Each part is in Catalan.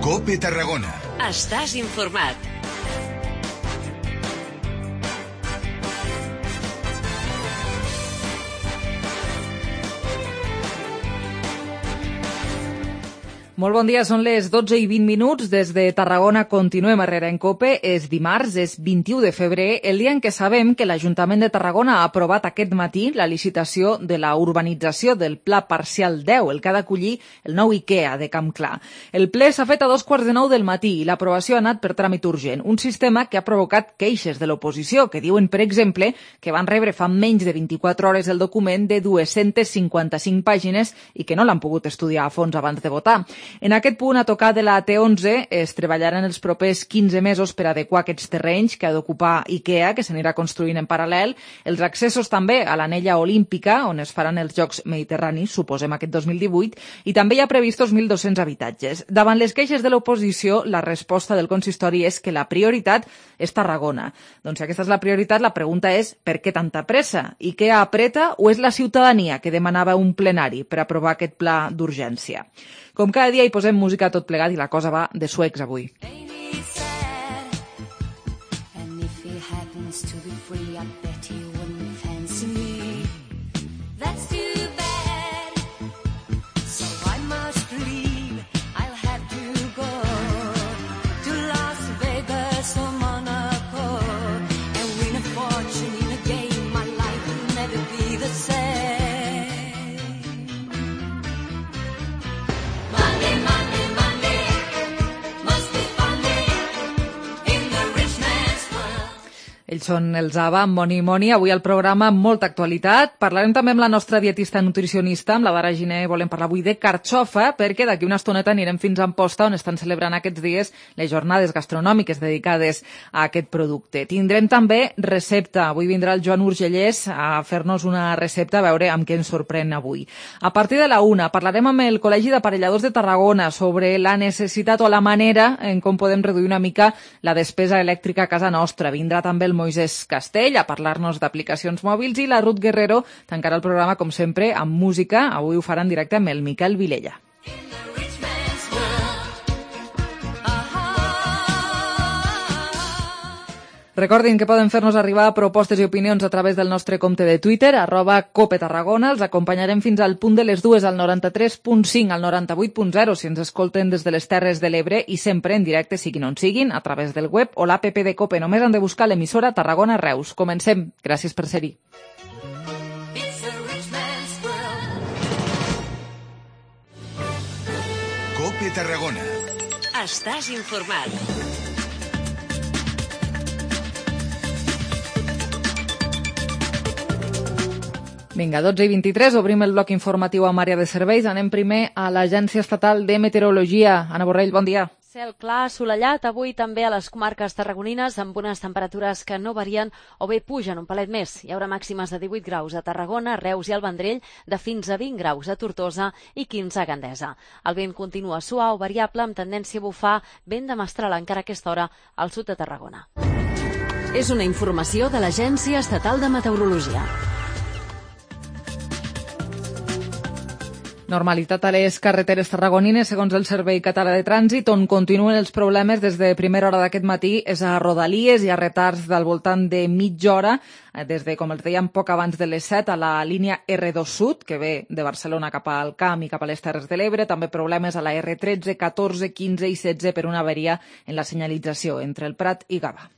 COPE Tarragona. Estàs informat. Molt bon dia, són les 12:20. Des de Tarragona continuem a Herrera en COPE. És dimarts, és 21 de febrer, el dia en què sabem que l'Ajuntament de Tarragona ha aprovat aquest matí la licitació de la urbanització del Pla Parcial 10, el que ha d'acollir el nou IKEA de Camp Clar. El ple s'ha fet a 2:15 del matí i l'aprovació ha anat per tràmit urgent, un sistema que ha provocat queixes de l'oposició, que diuen, per exemple, que van rebre fa menys de 24 hores el document de 255 pàgines i que no l'han pogut estudiar a fons abans de votar. En aquest punt, a tocar de la T11, es treballaran els propers 15 mesos per adequar aquests terrenys que ha d'ocupar IKEA, que s'anirà construint en paral·lel, els accessos també a l'anella olímpica, on es faran els Jocs Mediterranis, suposem aquest 2018, i també hi ha previstos 1.200 habitatges. Davant les queixes de l'oposició, la resposta del consistori és que la prioritat és Tarragona. Doncs si aquesta és la prioritat, la pregunta és per què tanta pressa? IKEA apreta o és la ciutadania que demanava un plenari per aprovar aquest pla d'urgència? Com cada dia hi posem música a tot plegat i la cosa va de suecs avui. Ells són els ABBA, Money Money. Avui al programa amb molta actualitat. Parlarem també amb la nostra dietista nutricionista, amb la Dara Giner. Volem parlar avui de carxofa, perquè d'aquí una estoneta anirem fins a Amposta, on estan celebrant aquests dies les jornades gastronòmiques dedicades a aquest producte. Tindrem també recepta. Avui vindrà el Joan Urgellès a fer-nos una recepta, a veure amb què ens sorprèn avui. A partir de la 1 parlarem amb el Col·legi d'Aparelladors de Tarragona sobre la necessitat o la manera en com podem reduir una mica la despesa elèctrica a casa nostra. Vindrà també el Moisés Castell a parlar-nos d'aplicacions mòbils i la Ruth Guerrero tancarà el programa, com sempre, amb música. Avui ho farà en directe amb el Miquel Vilella. Recordin que poden fer-nos arribar propostes i opinions a través del nostre compte de Twitter, @COPETarragona. Els acompanyarem fins al punt de les 2 al 93.5, al 98.0, si ens escolten des de les Terres de l'Ebre i sempre en directe, siguin on siguin, a través del web o l'app de COPE. Només han de buscar l'emissora Tarragona Reus. Comencem. Gràcies per ser-hi. COPE Tarragona. Estàs informat. Vinga, 12:23, obrim el bloc informatiu amb àrea de serveis. Anem primer a l'Agència Estatal de Meteorologia. Anna Borrell, bon dia. Cel clar, assolellat, avui també a les comarques tarragonines, amb unes temperatures que no varien o bé pugen un palet més. Hi haurà màximes de 18 graus a Tarragona, Reus i el Vendrell, de fins a 20 graus a Tortosa i 15 a Gandesa. El vent continua suau, variable, amb tendència a bufar vent de mestral encara a aquesta hora al sud de Tarragona. És una informació de l'Agència Estatal de Meteorologia. Normalitat a les carreteres tarragonines, segons el Servei Català de Trànsit, on continuen els problemes des de primera hora d'aquest matí. És a Rodalies, hi ha retards del voltant de mitja hora, des de, com els dèiem, poc abans de les 7 a la línia R2 Sud, que ve de Barcelona cap al Camp i cap a les Terres de l'Ebre. També problemes a la R13, 14, 15 i 16 per una avaria en la senyalització entre el Prat i Gavà.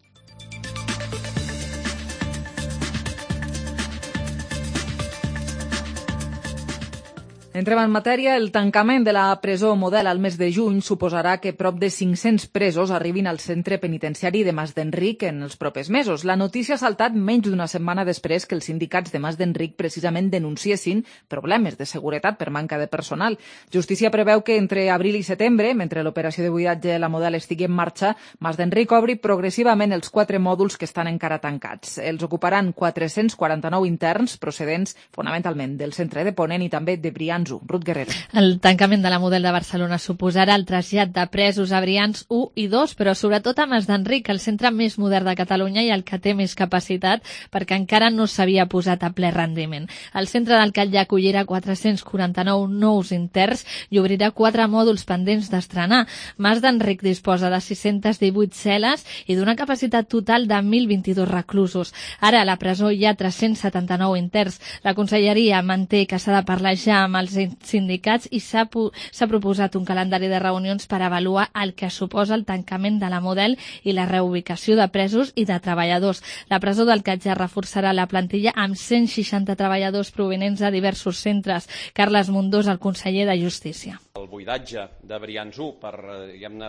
Entrem en matèria. El tancament de la presó Model al mes de juny suposarà que prop de 500 presos arribin al centre penitenciari de Mas d'Enric en els propers mesos. La notícia ha saltat menys d'una setmana després que els sindicats de Mas d'Enric precisament denunciessin problemes de seguretat per manca de personal. Justícia preveu que entre abril i setembre, mentre l'operació de buidatge de la Model estigui en marxa, Mas d'Enric obri progressivament els 4 mòduls que estan encara tancats. Els ocuparan 449 interns procedents fonamentalment del centre de Ponent i també de Brians Brians 1. Ruth Guerrero. El tancament de la Model de Barcelona suposarà el trasllat de presos a Brians 1 i 2, però sobretot a Mas d'Enric, el centre més modern de Catalunya i el que té més capacitat, perquè encara no s'havia posat a ple rendiment. El centre del Catllà acollirà 449 nous interns i obrirà 4 mòduls pendents d'estrenar. Mas d'Enric disposa de 618 cel·les i d'una capacitat total de 1.022 reclusos. Ara a la presó hi ha 379 interns. La Conselleria manté que s'ha de parlar ja amb els sindicats i s'ha proposat un calendari de reunions per avaluar el que suposa el tancament de la Model i la reubicació de presos i de treballadors. La presó del Catllà reforçarà la plantilla amb 160 treballadors provenents de diversos centres. Carles Mundós, el conseller de Justícia. El buidatge de Brians 1 per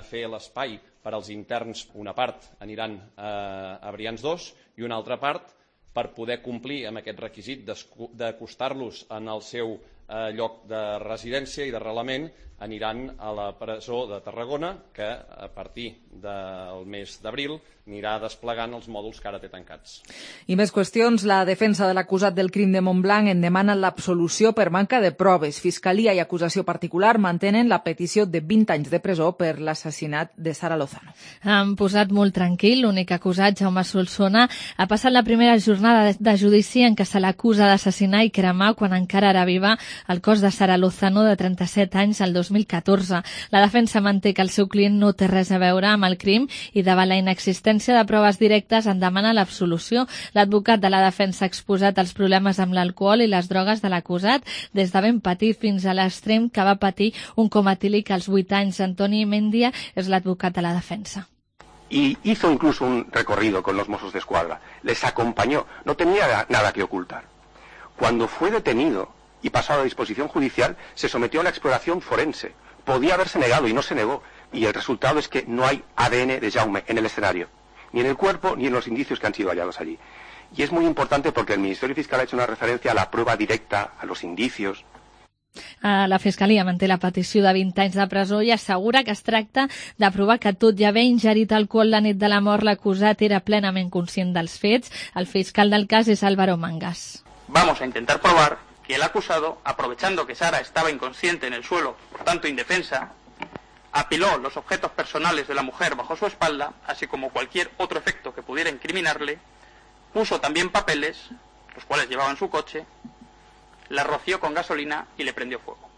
fer l'espai per als interns, una part aniran a Brians 2 i una altra part per poder complir amb aquest requisit d'acostar-los en el seu lloc de residència i d'arrelament, aniran a la presó de Tarragona, que a partir del mes d'abril anirà desplegant els mòduls que ara té tancats. I més qüestions. La defensa de l'acusat del crim de Montblanc en demana l'absolució per manca de proves. Fiscalia i acusació particular mantenen la petició de 20 anys de presó per l'assassinat de Sara Lozano. Han posat molt tranquil. L'únic acusat, Jaume Solsona, ha passat la primera jornada de judici en què se l'acusa d'assassinar i cremar quan encara era viva el cos de Sara Lozano, de 37 anys, el 2014. La defensa manté que el seu client no té res a veure amb el crim i davant la inexistència de proves directes en demana l'absolució. L'advocat de la defensa ha exposat els problemes amb l'alcohol i les drogues de l'acusat des de ben petit fins a l'extrem que va patir un coma etílic als 8 anys. Antoni Mendia és l'advocat de la defensa. Y hizo incluso un recorrido con los Mossos d'Esquadra. Les acompañó, no tenía nada que ocultar. Cuando fue detenido y pasado a disposición judicial, se sometió a una exploración forense. Podía haberse negado y no se negó. Y el resultado es que no hay ADN de Jaume en el escenario, ni en el cuerpo ni en los indicios que han sido hallados allí. Y es muy importante porque el Ministerio Fiscal ha hecho una referencia a la prueba directa, a los indicios. La Fiscalia manté la petició de 20 anys de presó i assegura que es tracta de provar que tot i haver ingerit alcohol la nit de la mort, l'acusat era plenament conscient dels fets. El fiscal del cas és Álvaro Mangas. Vamos a intentar probar que el acusado, aprovechando que Sara estaba inconsciente en el suelo, por tanto indefensa, apiló los objetos personales de la mujer bajo su espalda, así como cualquier otro efecto que pudiera incriminarle, puso también papeles, los cuales llevaba en su coche, la roció con gasolina y le prendió fuego.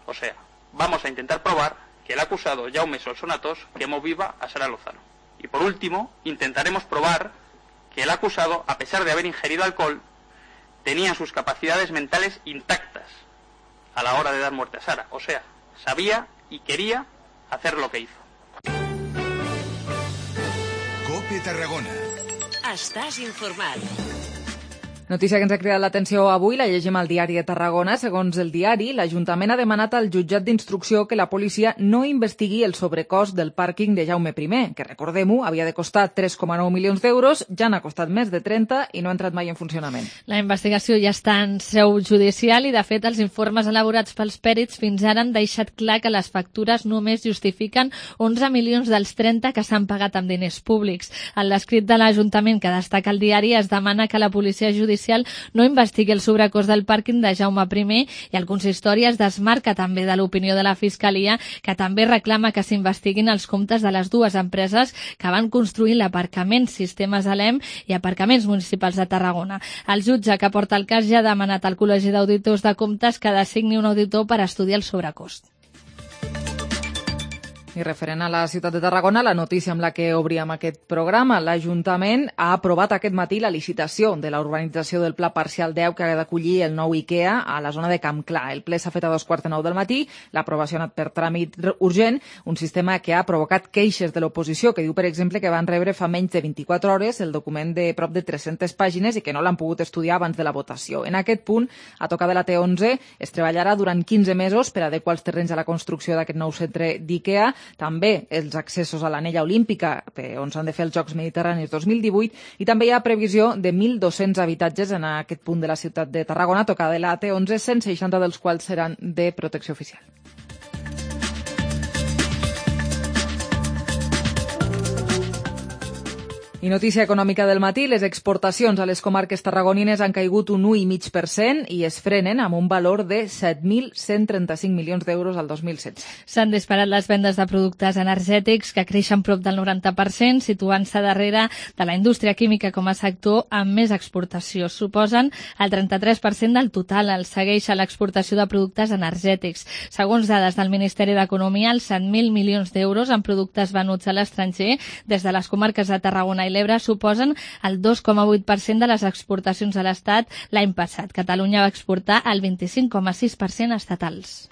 O sea, vamos a intentar probar que el acusado Jaume Solsona Tos quemó viva a Sara Lozano. Y por último, intentaremos probar que el acusado, a pesar de haber ingerido alcohol, tenía sus capacidades mentales intactas a la hora de dar muerte a Sara. O sea, sabía y quería hacer lo que hizo. COPE Tarragona. Estàs informat. Notícia que ens ha cridat l'atenció avui, la llegim al diari de Tarragona. Segons el diari, l'Ajuntament ha demanat al jutjat d'instrucció que la policia no investigui el sobrecost del pàrquing de Jaume I, que, recordem-ho, havia de costar 3,9 milions d'euros, ja n'ha costat més de 30 i no ha entrat mai en funcionament. La investigació ja està en seu judicial i, de fet, els informes elaborats pels pèrits fins ara han deixat clar que les factures només justifiquen 11 milions dels 30 que s'han pagat amb diners públics. En l'escrit de l'Ajuntament que destaca el diari es demana que la policia judicial no investigui el sobrecost del pàrquing de Jaume I i el consistori es desmarca també de l'opinió de la Fiscalia, que també reclama que s'investiguin els comptes de les dues empreses que van construir l'aparcament Sistemes Alem i Aparcaments Municipals de Tarragona. El jutge que porta el cas ja ha demanat al Col·legi d'Auditors de Comptes que designi un auditor per estudiar el sobrecost. I referent a la ciutat de Tarragona, la notícia amb la que obríem aquest programa, l'Ajuntament ha aprovat aquest matí la licitació de la urbanització del Pla Parcial 10 que ha d'acollir el nou IKEA a la zona de Camp Clar. El ple s'ha fet a 2:45 del matí, l'aprovació ha anat per tràmit urgent, un sistema que ha provocat queixes de l'oposició, que diu, per exemple, que van rebre fa menys de 24 hores el document de prop de 300 pàgines i que no l'han pogut estudiar abans de la votació. En aquest punt, a tocar de la T11, es treballarà durant 15 mesos per adequar els terrenys a la construcció d'aquest nou centre d'IKEA, també els accessos a l'anella olímpica, on s'han de fer els Jocs Mediterranis 2018, i també hi ha previsió de 1.200 habitatges en aquest punt de la ciutat de Tarragona, tocada de la T11, 160 dels quals seran de protecció oficial. I notícia econòmica del matí, les exportacions a les comarques tarragonines han caigut un 1,5% i es frenen amb un valor de 7.135 milions d'euros al 2016. S'han disparat les vendes de productes energètics, que creixen prop del 90%, situant-se darrere de la indústria química com a sector amb més exportació. Suposen el 33% del total. El segueix a l'exportació de productes energètics. Segons dades del Ministeri d'Economia, els 100.000 milions d'euros en productes venuts a l'estranger des de les comarques de Tarragona i l'Ebre suposen el 2,8% de les exportacions a l'Estat l'any passat. Catalunya va exportar el 25,6% estatals.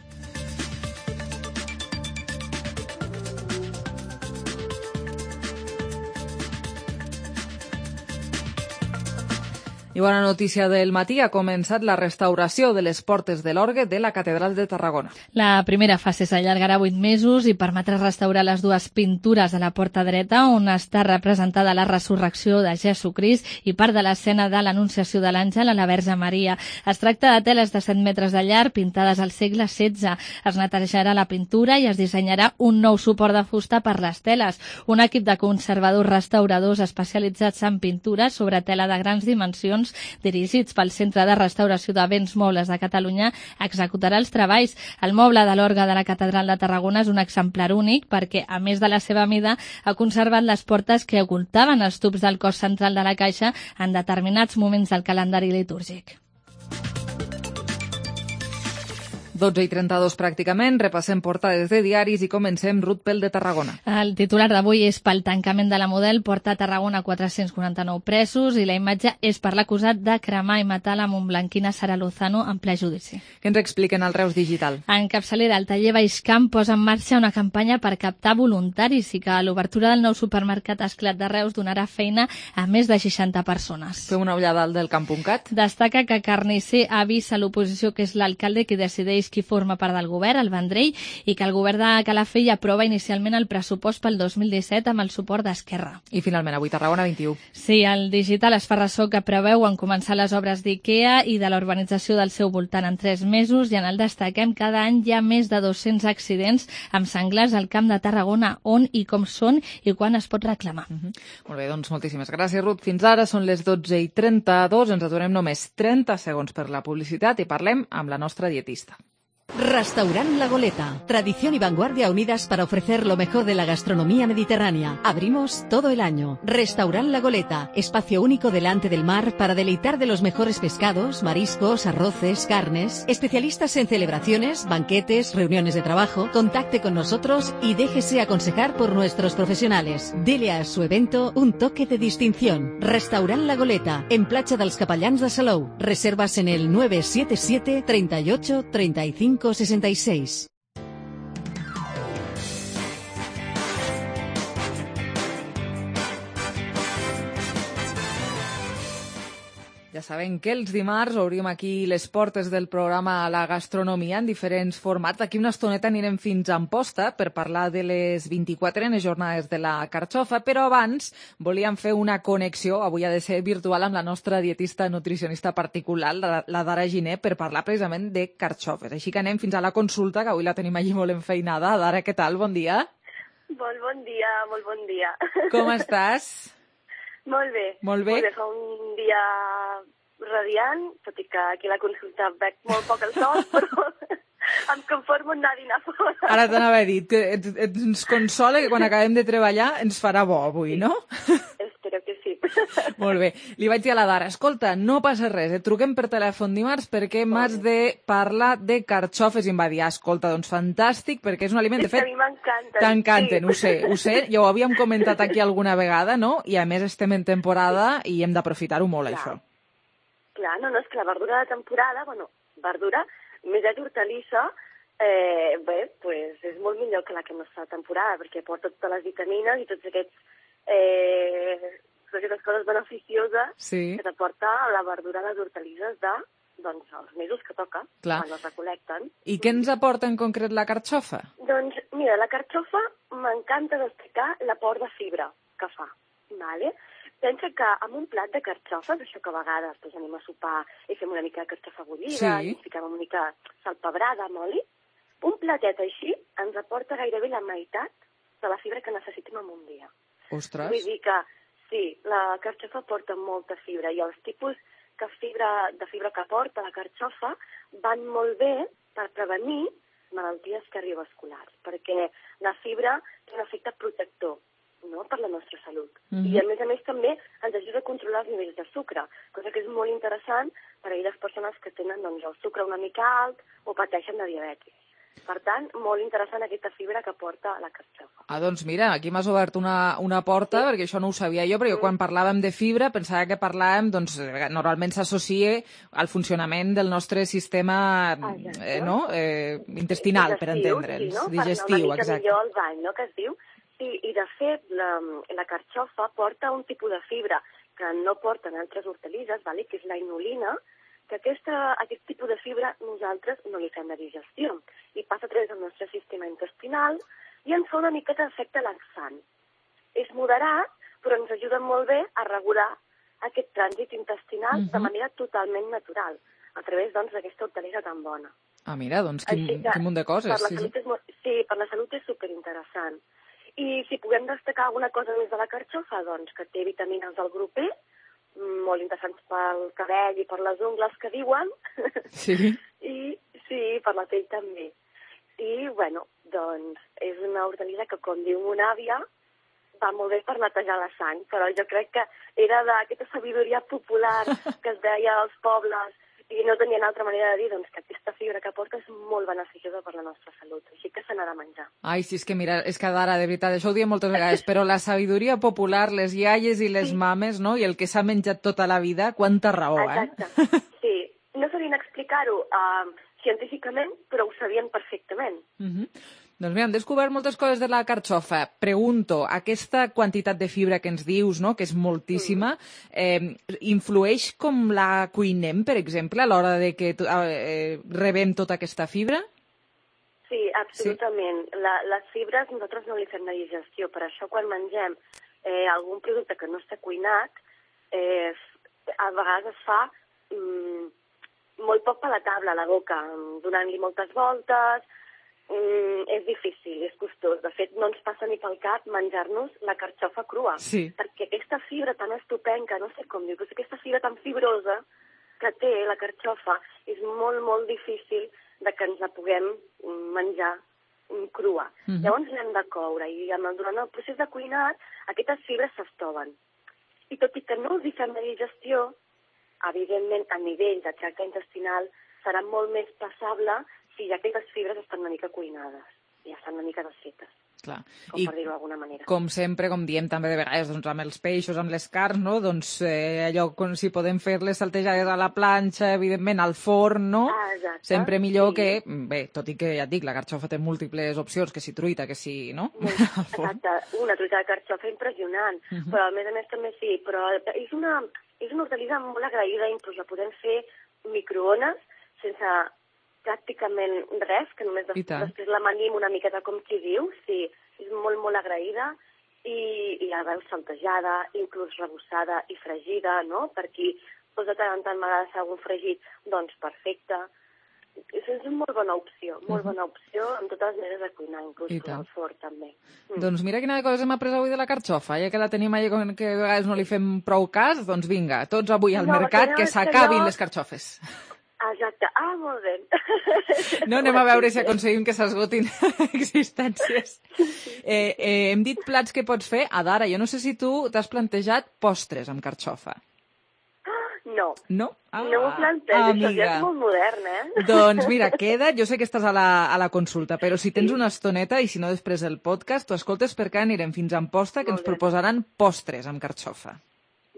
I bona notícia del matí, ha començat la restauració de les portes de l'orgue de la Catedral de Tarragona. La primera fase s'allargarà 8 mesos i permetrà restaurar les dues pintures de la porta dreta, on està representada la resurrecció de Jesucrist i part de l'escena de l'Anunciació de l'Àngel a la Verge Maria. Es tracta de teles de 7 metres de llarg pintades al segle XVI. Es netejarà la pintura i es dissenyarà un nou suport de fusta per les teles. Un equip de conservadors restauradors especialitzats en pintures sobre tela de grans dimensions dirigits pel Centre de Restauració de Béns Mobles de Catalunya executarà els treballs. El moble de l'orgue de la Catedral de Tarragona és un exemplar únic perquè, a més de la seva mida, ha conservat les portes que ocultaven els tubs del cos central de la caixa en determinats moments del calendari litúrgic. 12:32 pràcticament, repassem portades de diaris i comencem Ruth pel de Tarragona. El titular d'avui és pel tancament de la Model, porta a Tarragona 449 presos i la imatge és per l'acusat de cremar i matar la montblanquina Sara Lozano en ple judici. Què ens expliquen al Reus Digital? En capçalera, el taller Baixcamp posa en marxa una campanya per captar voluntaris i que l'obertura del nou supermercat Esclat de Reus donarà feina a més de 60 persones. Fem una ullada al del Camp.cat. Destaca que Carnicer avisa a l'oposició que és l'alcalde qui decideix qui forma part del govern, el Vendrell, i que el govern de Calafell aprova inicialment el pressupost pel 2017 amb el suport d'Esquerra. I finalment, avui Tarragona 21. Sí, el digital es fa ressò que preveuen començar les obres d'IKEA i de la urbanització del seu voltant en 3 mesos i en el destaquem cada any hi ha més de 200 accidents amb senglars al Camp de Tarragona. On i com són i quan es pot reclamar. Molt bé, doncs moltíssimes gràcies, Ruth. Fins ara són les 12:32. Ens aturem només 30 segons per la publicitat i parlem amb la nostra dietista. Restaurant La Goleta. Tradición y vanguardia unidas para ofrecer lo mejor de la gastronomía mediterránea. Abrimos todo el año. Restaurant La Goleta. Espacio único delante del mar para deleitar de los mejores pescados, mariscos, arroces, carnes. Especialistas en celebraciones, banquetes, reuniones de trabajo. Contacte con nosotros y déjese aconsejar por nuestros profesionales. Dele a su evento un toque de distinción. Restaurant La Goleta. En Platja dels Capellans de Salou. Reservas en el 977 38 35 66. Ja saben que els dimarts obrim aquí les portes del programa a la gastronomia en diferents formats. D'aquí una estoneta anirem fins a Amposta per parlar de les 24 jornades de la carxofa, però abans volíem fer una connexió, avui ha de ser virtual, amb la nostra dietista nutricionista particular, la Dara Giner, per parlar precisament de carxofes. Així que anem fins a la consulta, que avui la tenim allí molt enfeinada. Dara, què tal? Bon dia. Molt bon dia, molt bon dia. Com estàs? Molt bé. Molt bé. Fa un dia radiant, tot i que aquí a la consulta veig molt poc el sol, però em conformo en anar a dinar fora. Ara t'anava a dir que ens consola que quan acabem de treballar ens farà bo avui, no? Espero que sí. Molt bé. Li vaig dir a la Dara, escolta, no passa res, et truquem per telèfon dimarts perquè m'has de parlar de carxofes. I em va dir, escolta, doncs fantàstic, perquè és un aliment, de fet, a mi m'encanten. t'encanten, sí. ho sé, ja ho havíem comentat aquí alguna vegada, no? I a més estem en temporada i hem d'aprofitar-ho molt, Clar. això. Clar, no, és que la verdura de temporada, verdura, més d'hortalissa, pues és molt millor que la que no està de temporada, perquè porta totes les vitamines i tots aquestes coses beneficioses que t'aporta la verdura de les hortalisses els mesos que toca, quan les recolecten. I què ens aporta en concret la carxofa? Doncs, mira, la carxofa m'encanta destacar l'aport de fibra que fa, ¿vale? Pensa que amb un plat de carxofes, això que a vegades doncs, anem a sopar i fem una mica de carxofa bullida, i ens fiquem una mica salpebrada amb oli, un platet així ens aporta gairebé la meitat de la fibra que necessitem en un dia. Ostres! Vull dir que Sí, la carxofa porta molta fibra i els tipus de fibra que porta la carxofa van molt bé per prevenir malalties cardiovasculars, perquè la fibra té un efecte protector, no?, per la nostra salut. I a més també ens ajuda a controlar els nivells de sucre, cosa que és molt interessant per a aquelles persones que tenen doncs, el sucre una mica alt o pateixen de diabetis. Per tant, molt interessant aquesta fibra que porta la carxofa. Doncs mira, aquí m'has obert una porta, perquè això no ho sabia jo, perquè quan parlàvem de fibra pensava que parlàvem, doncs, normalment s'associa al funcionament del nostre sistema intestinal, per entendre'ns. Digestiu, exacte. Millor el bany, no?, que es diu. Sí, i de fet, la carxofa porta un tipus de fibra que no porten altres hortalisses, que és la inulina, que aquest tipus de fibra nosaltres no li fem de digestió i passa a través del nostre sistema intestinal i ens fa una miqueta d'efecte laxant. És moderat, però ens ajuda molt bé a regular aquest trànsit intestinal de manera totalment natural, a través d'aquesta hortalissa tan bona. Ah, mira, doncs quin munt de coses. Per la salut és superinteressant. I si puguem destacar alguna cosa més de la carxofa, doncs que té vitamines del grup E, molt interessants pel cabell i per les ungles que diuen. Sí. I sí, per la pell també. I, doncs és una hortalissa que, com diu mon àvia, va molt bé per netejar la sang, però jo crec que era d'aquesta sabidoria popular que es deia als pobles i no tenien altra manera de dir que aquesta fibra que porta és molt beneficiosa per la nostra salut, així que se n'ha de menjar. Ai, sí, és que mira, és que Dara, de veritat, això ho diem moltes vegades, però la sabidoria popular, les iaies i les mames, no?, i el que s'ha menjat tota la vida, quanta raó, Exacte, sí. No sabien explicar-ho científicament, però ho sabien perfectament. Doncs mira, hem descobert moltes coses de la carxofa. Pregunto, aquesta quantitat de fibra que ens dius, no?, que és moltíssima, influeix com la cuinem, per exemple, a l'hora de que rebem tota aquesta fibra? Sí, absolutament. Sí. Les fibres nosaltres no li fem la digestió, per això quan mengem algun producte que no està cuinat, a vegades es fa molt poc palatable a la boca, donant-li moltes voltes. És difícil, és costós. De fet, no ens passa ni pel cap menjar-nos la carxofa crua, perquè aquesta fibra tan estupenca, no sé com dir, però aquesta fibra tan fibrosa que té la carxofa és molt, molt difícil de que ens la puguem menjar crua. Llavors l'hem de coure i durant el procés de cuinat aquestes fibres s'estoven. I tot i que no els hi fem la digestió, evidentment a nivell de tracte intestinal serà molt més passable si ja aquestes fibres estan una mica cuinades, ja estan una mica desfetes. Clar. Com per dir-ho d'alguna manera. Com sempre, com diem també de vegades, doncs, amb els peixos, amb les carns, no? Doncs allò, si podem fer-les saltejades a la planxa, evidentment, al forn, no? Exacte. Sempre millor que... Bé, tot i que, ja et dic, la carxofa té múltiples opcions, que si truita, que si... no? Exacte. Una truita de carxofa impressionant, però a més també sí, però és una hortalissa molt agraïda, inclús la podem fer microones sense pràcticament res, que només després la manim una miqueta com qui diu, sí, és molt, molt agraïda i la veus saltejada, inclús rebossada i fregida, no? Per qui de tant en tant m'agrada algun fregit, doncs perfecte. És una molt bona opció amb totes les maneres de cuinar, inclús com el forn també. Doncs mira quina cosa hem après avui de la carxofa, ja que la tenim allà que a vegades no li fem prou cas, doncs vinga, tots avui al mercat, que s'acabin les carxofes. Exacte. Ah, molt bé. No, anem a veure si aconseguim que s'esgotin existències. Hem dit plats que pots fer. Adara, jo no sé si tu t'has plantejat postres amb carxofa. No. No? No m'ho plantejo, això ja és molt modern, Doncs mira, queda't, jo sé que estàs a la consulta, però si tens una estoneta i si no després del podcast, tu escoltes perquè anirem fins a Amposta que ens proposaran postres amb carxofa.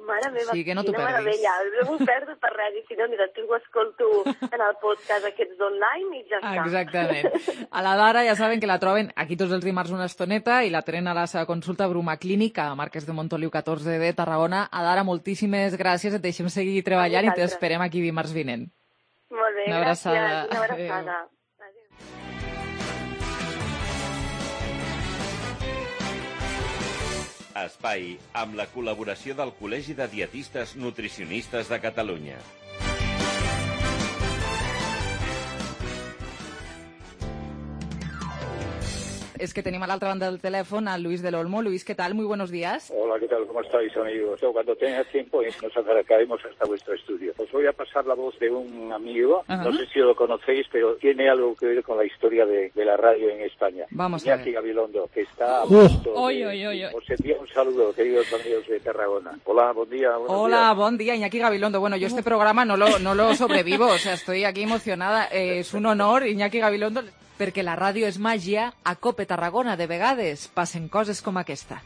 Mare meva, sí, que no t'ho perdis. Meravella. No m'ho perdo per res, i si no, mira, tu ho escolto en el podcast aquests d'online i ja està. Exactament. A la Dara ja saben que la troben aquí tots els dimarts una estoneta i la tenen a la seva consulta a Bruma Clínica, a Marquès de Montoliu 14 de Tarragona. A Dara, moltíssimes gràcies, et deixem seguir treballant i t'esperem aquí dimarts vinent. Molt bé, gràcies. Una abraçada. Espai amb la col·laboració del Col·legi de Dietistes Nutricionistes de Catalunya. Es que tenim a l'altra banda del teléfono a Luis del Olmo. Luis, ¿qué tal? Muy buenos días. Hola, ¿qué tal? ¿Cómo estáis, amigos? Cuando tengas tiempo nos acercaremos hasta vuestro estudio. Os voy a pasar la voz de un amigo, no sé si lo conocéis, pero tiene algo que ver con la historia de la radio en España. Vamos a ver. Iñaki Gabilondo, que está a punto de... Os envío un saludo, queridos amigos de Tarragona. Hola, buen día. Hola, buen día, Iñaki Gabilondo. Bueno, yo este programa no lo sobrevivo, o sea, estoy aquí emocionada. Es un honor, Iñaki Gabilondo, perquè la ràdio és màgia. A COPE Tarragona, de vegades, passen coses com aquesta.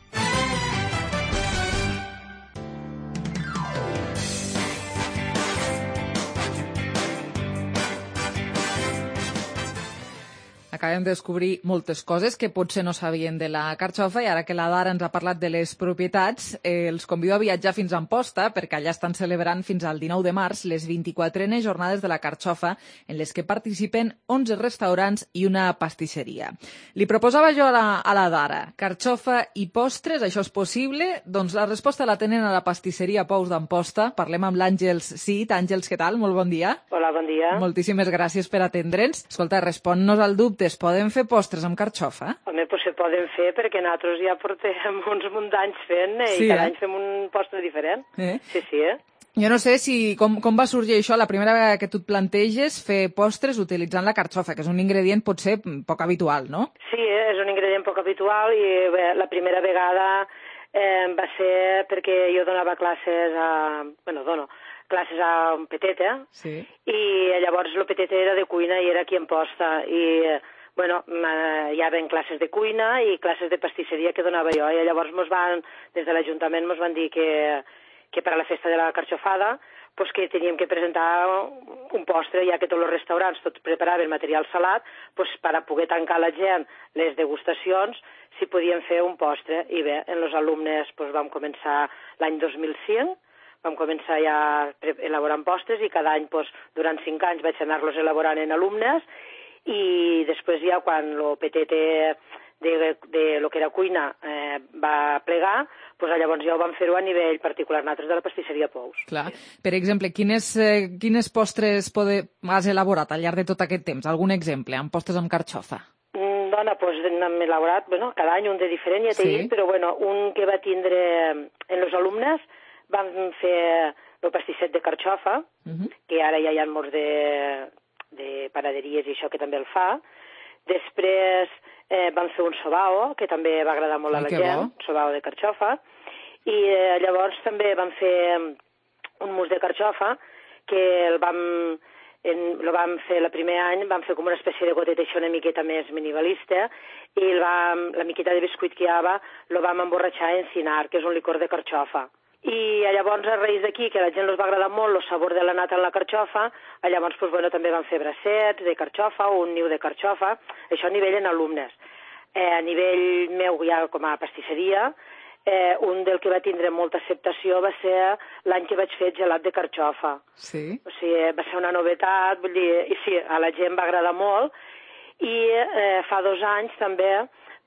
Acabem de descobrir moltes coses que potser no sabien de la carxofa i ara que la Dara ens ha parlat de les propietats, els convido a viatjar fins a Amposta perquè allà estan celebrant fins al 19 de març les 24enes jornades de la carxofa en les que participen 11 restaurants i una pastisseria. Li proposava jo a la Dara, carxofa i postres, això és possible? Doncs la resposta la tenen a la pastisseria Pous d'Amposta. Parlem amb l'Àngels Cid. Àngels, què tal? Molt bon dia. Hola, bon dia. Moltíssimes gràcies per atendre'ns. Escolta, respon-nos al dubte. Es poden fer postres amb carxofa? Home, pues se poden fer perquè nosaltres ja portem uns munt d'anys fent i cada any fem un postre diferent. Sí. Jo no sé com va sorgir això la primera vegada que tu et planteges fer postres utilitzant la carxofa, que és un ingredient potser poc habitual, no? Sí, és un ingredient poc habitual i la primera vegada va ser perquè jo donava classes dono classes a un petete, i llavors el petete era de cuina i era aquí a Amposta, i hi havia classes de cuina i classes de pastisseria que donava jo, i llavors des de l'Ajuntament ens van dir que per a la festa de la carxofada pues que teníem que presentar un postre, ja que tots els restaurants tots preparaven material salat, pues per a poder tancar la gent les degustacions, si podíem fer un postre. I bé, en els alumnes pues vam començar l'any 2005, vam començar ja elaborant postres i cada any, durant 5 anys, vaig anar-los elaborant en alumnes i després ja quan el PTT de lo que era cuina va plegar, llavors ja ho vam fer-ho a nivell particular, nosaltres de la pastisseria Pous. Clar. Per exemple, quines postres has elaborat al llarg de tot aquest temps? Algun exemple, amb postres amb carxofa? Hem elaborat, cada any un de diferent, ja t'he dit, però un que va tindre en els alumnes vam fer el pastisset de carxofa, que ara ja hi ha molts de panaderies i això que també el fa. Després vam fer un sobao, que també va agradar molt a la gent, sobao de carxofa. I llavors també vam fer un mousse de carxofa, que el vam fer el primer any, vam fer com una espècie de gotet això una miqueta més minimalista, i la miqueta de biscuit que hi havia el vam emborratxar en cinar, que és un licor de carxofa. I llavors, a raïs d'aquí, que a la gent els va agradar molt el sabor de la nata en la carxofa, llavors també vam fer bracets de carxofa o un niu de carxofa, això a nivell en alumnes. A nivell meu ja com a pastisseria, un del que va tindre molta acceptació va ser l'any que vaig fer gelat de carxofa. Sí? O sigui, va ser una novetat, vull dir, i sí, a la gent va agradar molt, i fa 2 anys també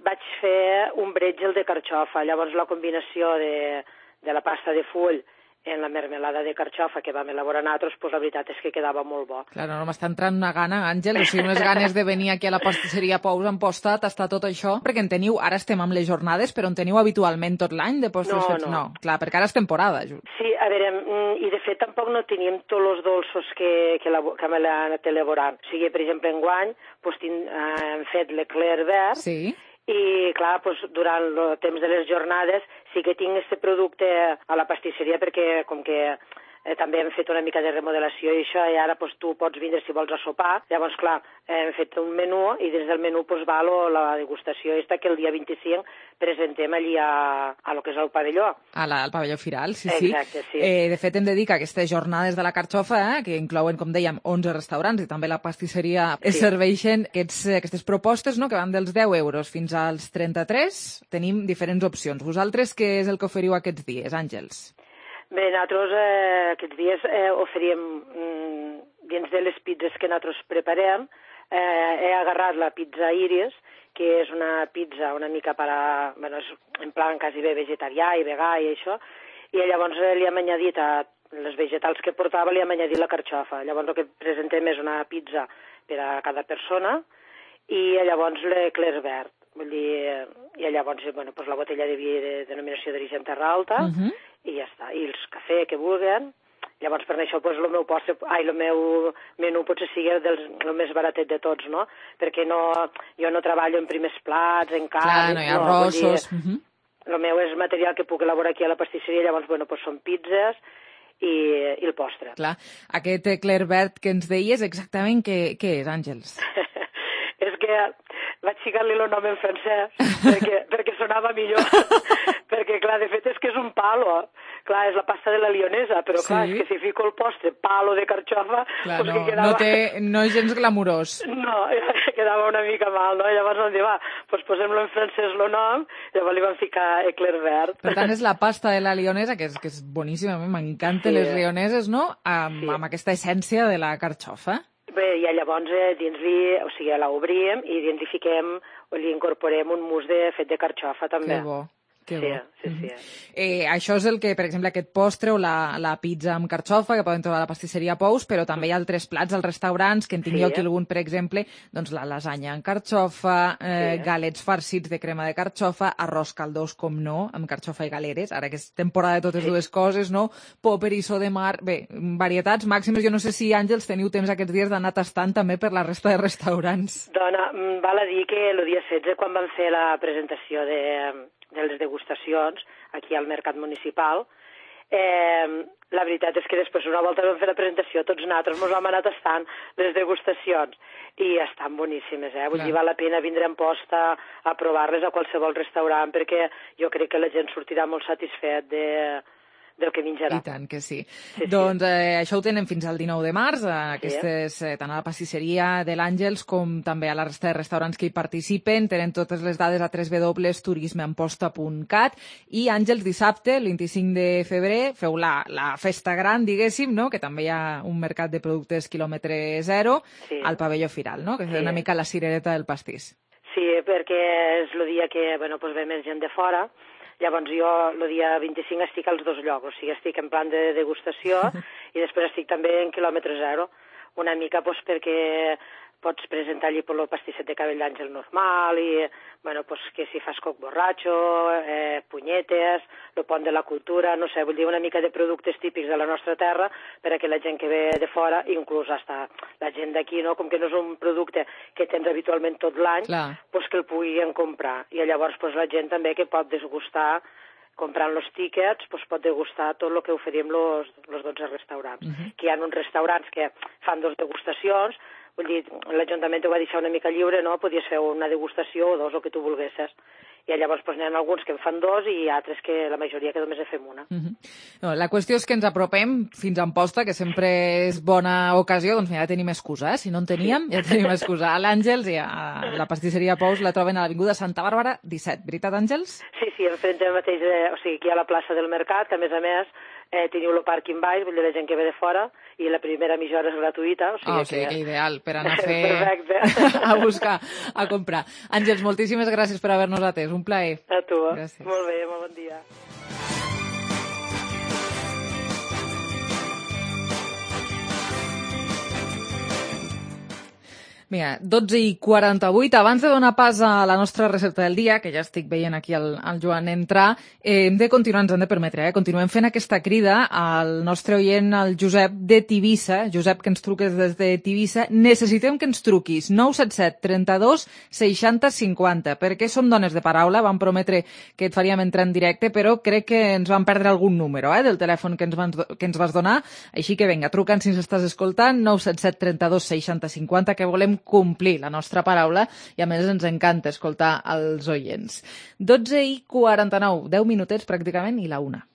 vaig fer un bretgel de carxofa, llavors la combinació de la pasta de full en la mermelada de carxofa que vam elaborar nosaltres, la veritat és que quedava molt bo. Clar, no m'està entrant una gana, Àngel, o sigui, unes ganes de venir aquí a la pastisseria Pous a Amposta, tastar tot això, perquè en teniu, ara estem amb les jornades, però en teniu habitualment tot l'any de postres fets? No, clar, perquè ara és temporada. Sí, a veure, i de fet tampoc no teníem tots els dolços que hem anat elaborant. O sigui, per exemple, enguany hem fet l'eclair verd, i, clar, durant el temps de les jornades sí que tinc aquest producte a la pastisseria perquè, com que també hem fet una mica de remodelació i això, i ara tu pots vindre si vols a sopar. Llavors, clar, hem fet un menú i des del menú va la degustació aquesta que el dia 25 presentem allí a lo que és el pavelló. Al pavelló Firal, sí. Exacte, sí. De fet, hem de dir que aquestes jornades de la carxofa, que inclouen, com dèiem, 11 restaurants i també la pastisseria, es serveixen aquestes propostes, no?, que van dels 10 euros fins als 33. Tenim diferents opcions. Vosaltres què és el que oferiu aquests dies, Àngels? Bé, nosaltres aquests dies oferíem, dins de les pizzas que nosaltres preparem, he agarrat la pizza Iris, que és una pizza una mica en plan quasi bé vegetarià i vegà i això, i llavors li hem añadit a les vegetals que portava, li hem añadit la carxofa. Llavors el que presentem és una pizza per a cada persona i llavors l'eclair verd. vull dir, i llavors, bueno, pues la botella de vi de denominació d'origen Terra Alta, i ja està, i els cafè que vulguen. Llavors, per això, pues, el meu menú potser sigui el més baratet de tots, no? Perquè jo no treballo en primers plats, en carn... Clar, no hi ha arrossos... El meu és material que puc elaborar aquí a la pastisseria, llavors, bueno, pues són pizzas i el postre. Clar, aquest Eclair que ens deies, exactament què és, Àngels? És que vaig ficar-li el nom en francès perquè sonava millor. Perquè, clar, de fet és que és un palo. Clar, és la pasta de la lionesa, però clar, és que si fico el postre palo de carxofa... Clar, no és gens glamurós. No, quedava una mica mal, no? Llavors vam dir, va, doncs posem-lo en francès el nom, llavors li vam ficar Eclair Vert. Per tant, és la pasta de la lionesa, que és boníssima, m'encanten les lioneses, no? Amb aquesta essència de la carxofa. Bé, i llavors dins-li, o sigui, l'obrim i dins li fiquem, o li incorporem un mousse fet de carxofa, també. Que bo. Sí. Això és el que, per exemple, aquest postre o la pizza amb carxofa que poden trobar a la pastisseria Pous, però també hi ha altres plats als restaurants, que en tinc jo aquí algun, per exemple, doncs la lasanya amb carxofa, galets farcits de crema de carxofa, arròs caldós, com no, amb carxofa i galeres, ara que és temporada de totes dues coses, no? Poperisso de mar, bé, varietats màximes. Jo no sé si, Àngels, teniu temps aquests dies d'anar tastant també per la resta de restaurants. Dona, val a dir que el dia 16, quan vam fer la presentació de les degustacions aquí al Mercat Municipal. La veritat és que després una volta vam fer la presentació, tots nosaltres ens vam anar tastant les degustacions i estan boníssimes, Vull dir, val la pena vindre en posta a provar-les a qualsevol restaurant perquè jo crec que la gent sortirà molt satisfet del que menjarà. I tant que sí. Doncs això ho tenen fins al 19 de març, aquestes, tant a la pastisseria de l'Àngels com també a la resta de restaurants que hi participen. Tenen totes les dades a www.turismeamposta.cat i Àngels, dissabte, el 25 de febrer, feu la festa gran, diguéssim, no? Que també hi ha un mercat de productes quilòmetre zero al pavelló Firal, no? Que és una mica la cirereta del pastís. Sí, perquè és el dia que ve més gent de fora. Llavors jo el dia 25 estic als dos llocs, o sigui, estic en plan de degustació i després estic també en quilòmetre zero, una mica perquè pots presentar allí el pastisset de cabell d'àngel normal i, que si fas coc borratxo, punyetes, el pont de la cultura, no sé, vull dir una mica de productes típics de la nostra terra per a que la gent que ve de fora, inclús hasta la gent d'aquí, no? Com que no és un producte que tens habitualment tot l'any, que el puguin comprar. I llavors la gent també que pot desgustar comprant els tíquets, pot degustar tot el que oferim els 12 restaurants. Que hi ha uns restaurants que fan 2 degustacions, vull dir, l'Ajuntament ho va deixar una mica lliure, no? Podies fer una degustació o 2, o que tu volguessis. I llavors n'hi ha alguns que en fan 2 i altres que la majoria que només en fem una. La qüestió és que ens apropem fins a Amposta, que sempre és bona ocasió, doncs ja tenim excusa, Si no en teníem, ja tenim excusa. A l'Àngels i a la pastisseria Pous la troben a l'Avinguda Santa Bàrbara 17, veritat, Àngels? Sí, enfront mateix, o sigui, aquí a la plaça del Mercat, que a més teniu el pàrquing baix, vull dir, la gent que ve de fora, i la primera mitja hora és gratuïta. O sigui que ideal, per anar a fer... a buscar, a comprar. Àngels, moltíssimes gràcies per haver-nos atès, un plaer. A tu. Gràcies. Molt bé, molt bon dia. Mira, 12:48. Abans de donar pas a la nostra recepta del dia, que ja estic veient aquí el Joan entrar, hem de continuar, ens han de permetre, continuem fent aquesta crida al nostre oient, al Josep de Tivissa. Josep, que ens truques des de Tivissa. Necessitem que ens truquis 977 32 60 50, perquè som dones de paraula, vam prometre que et faríem entrar en directe, però crec que ens vam perdre algun número del telèfon que ens vas donar, així que vinga, truca'ns si ens estàs escoltant, 977 32 60 50, que volem complir la nostra paraula i a més ens encanta escoltar els oients. 12:49, 10 minutets pràcticament i la 1.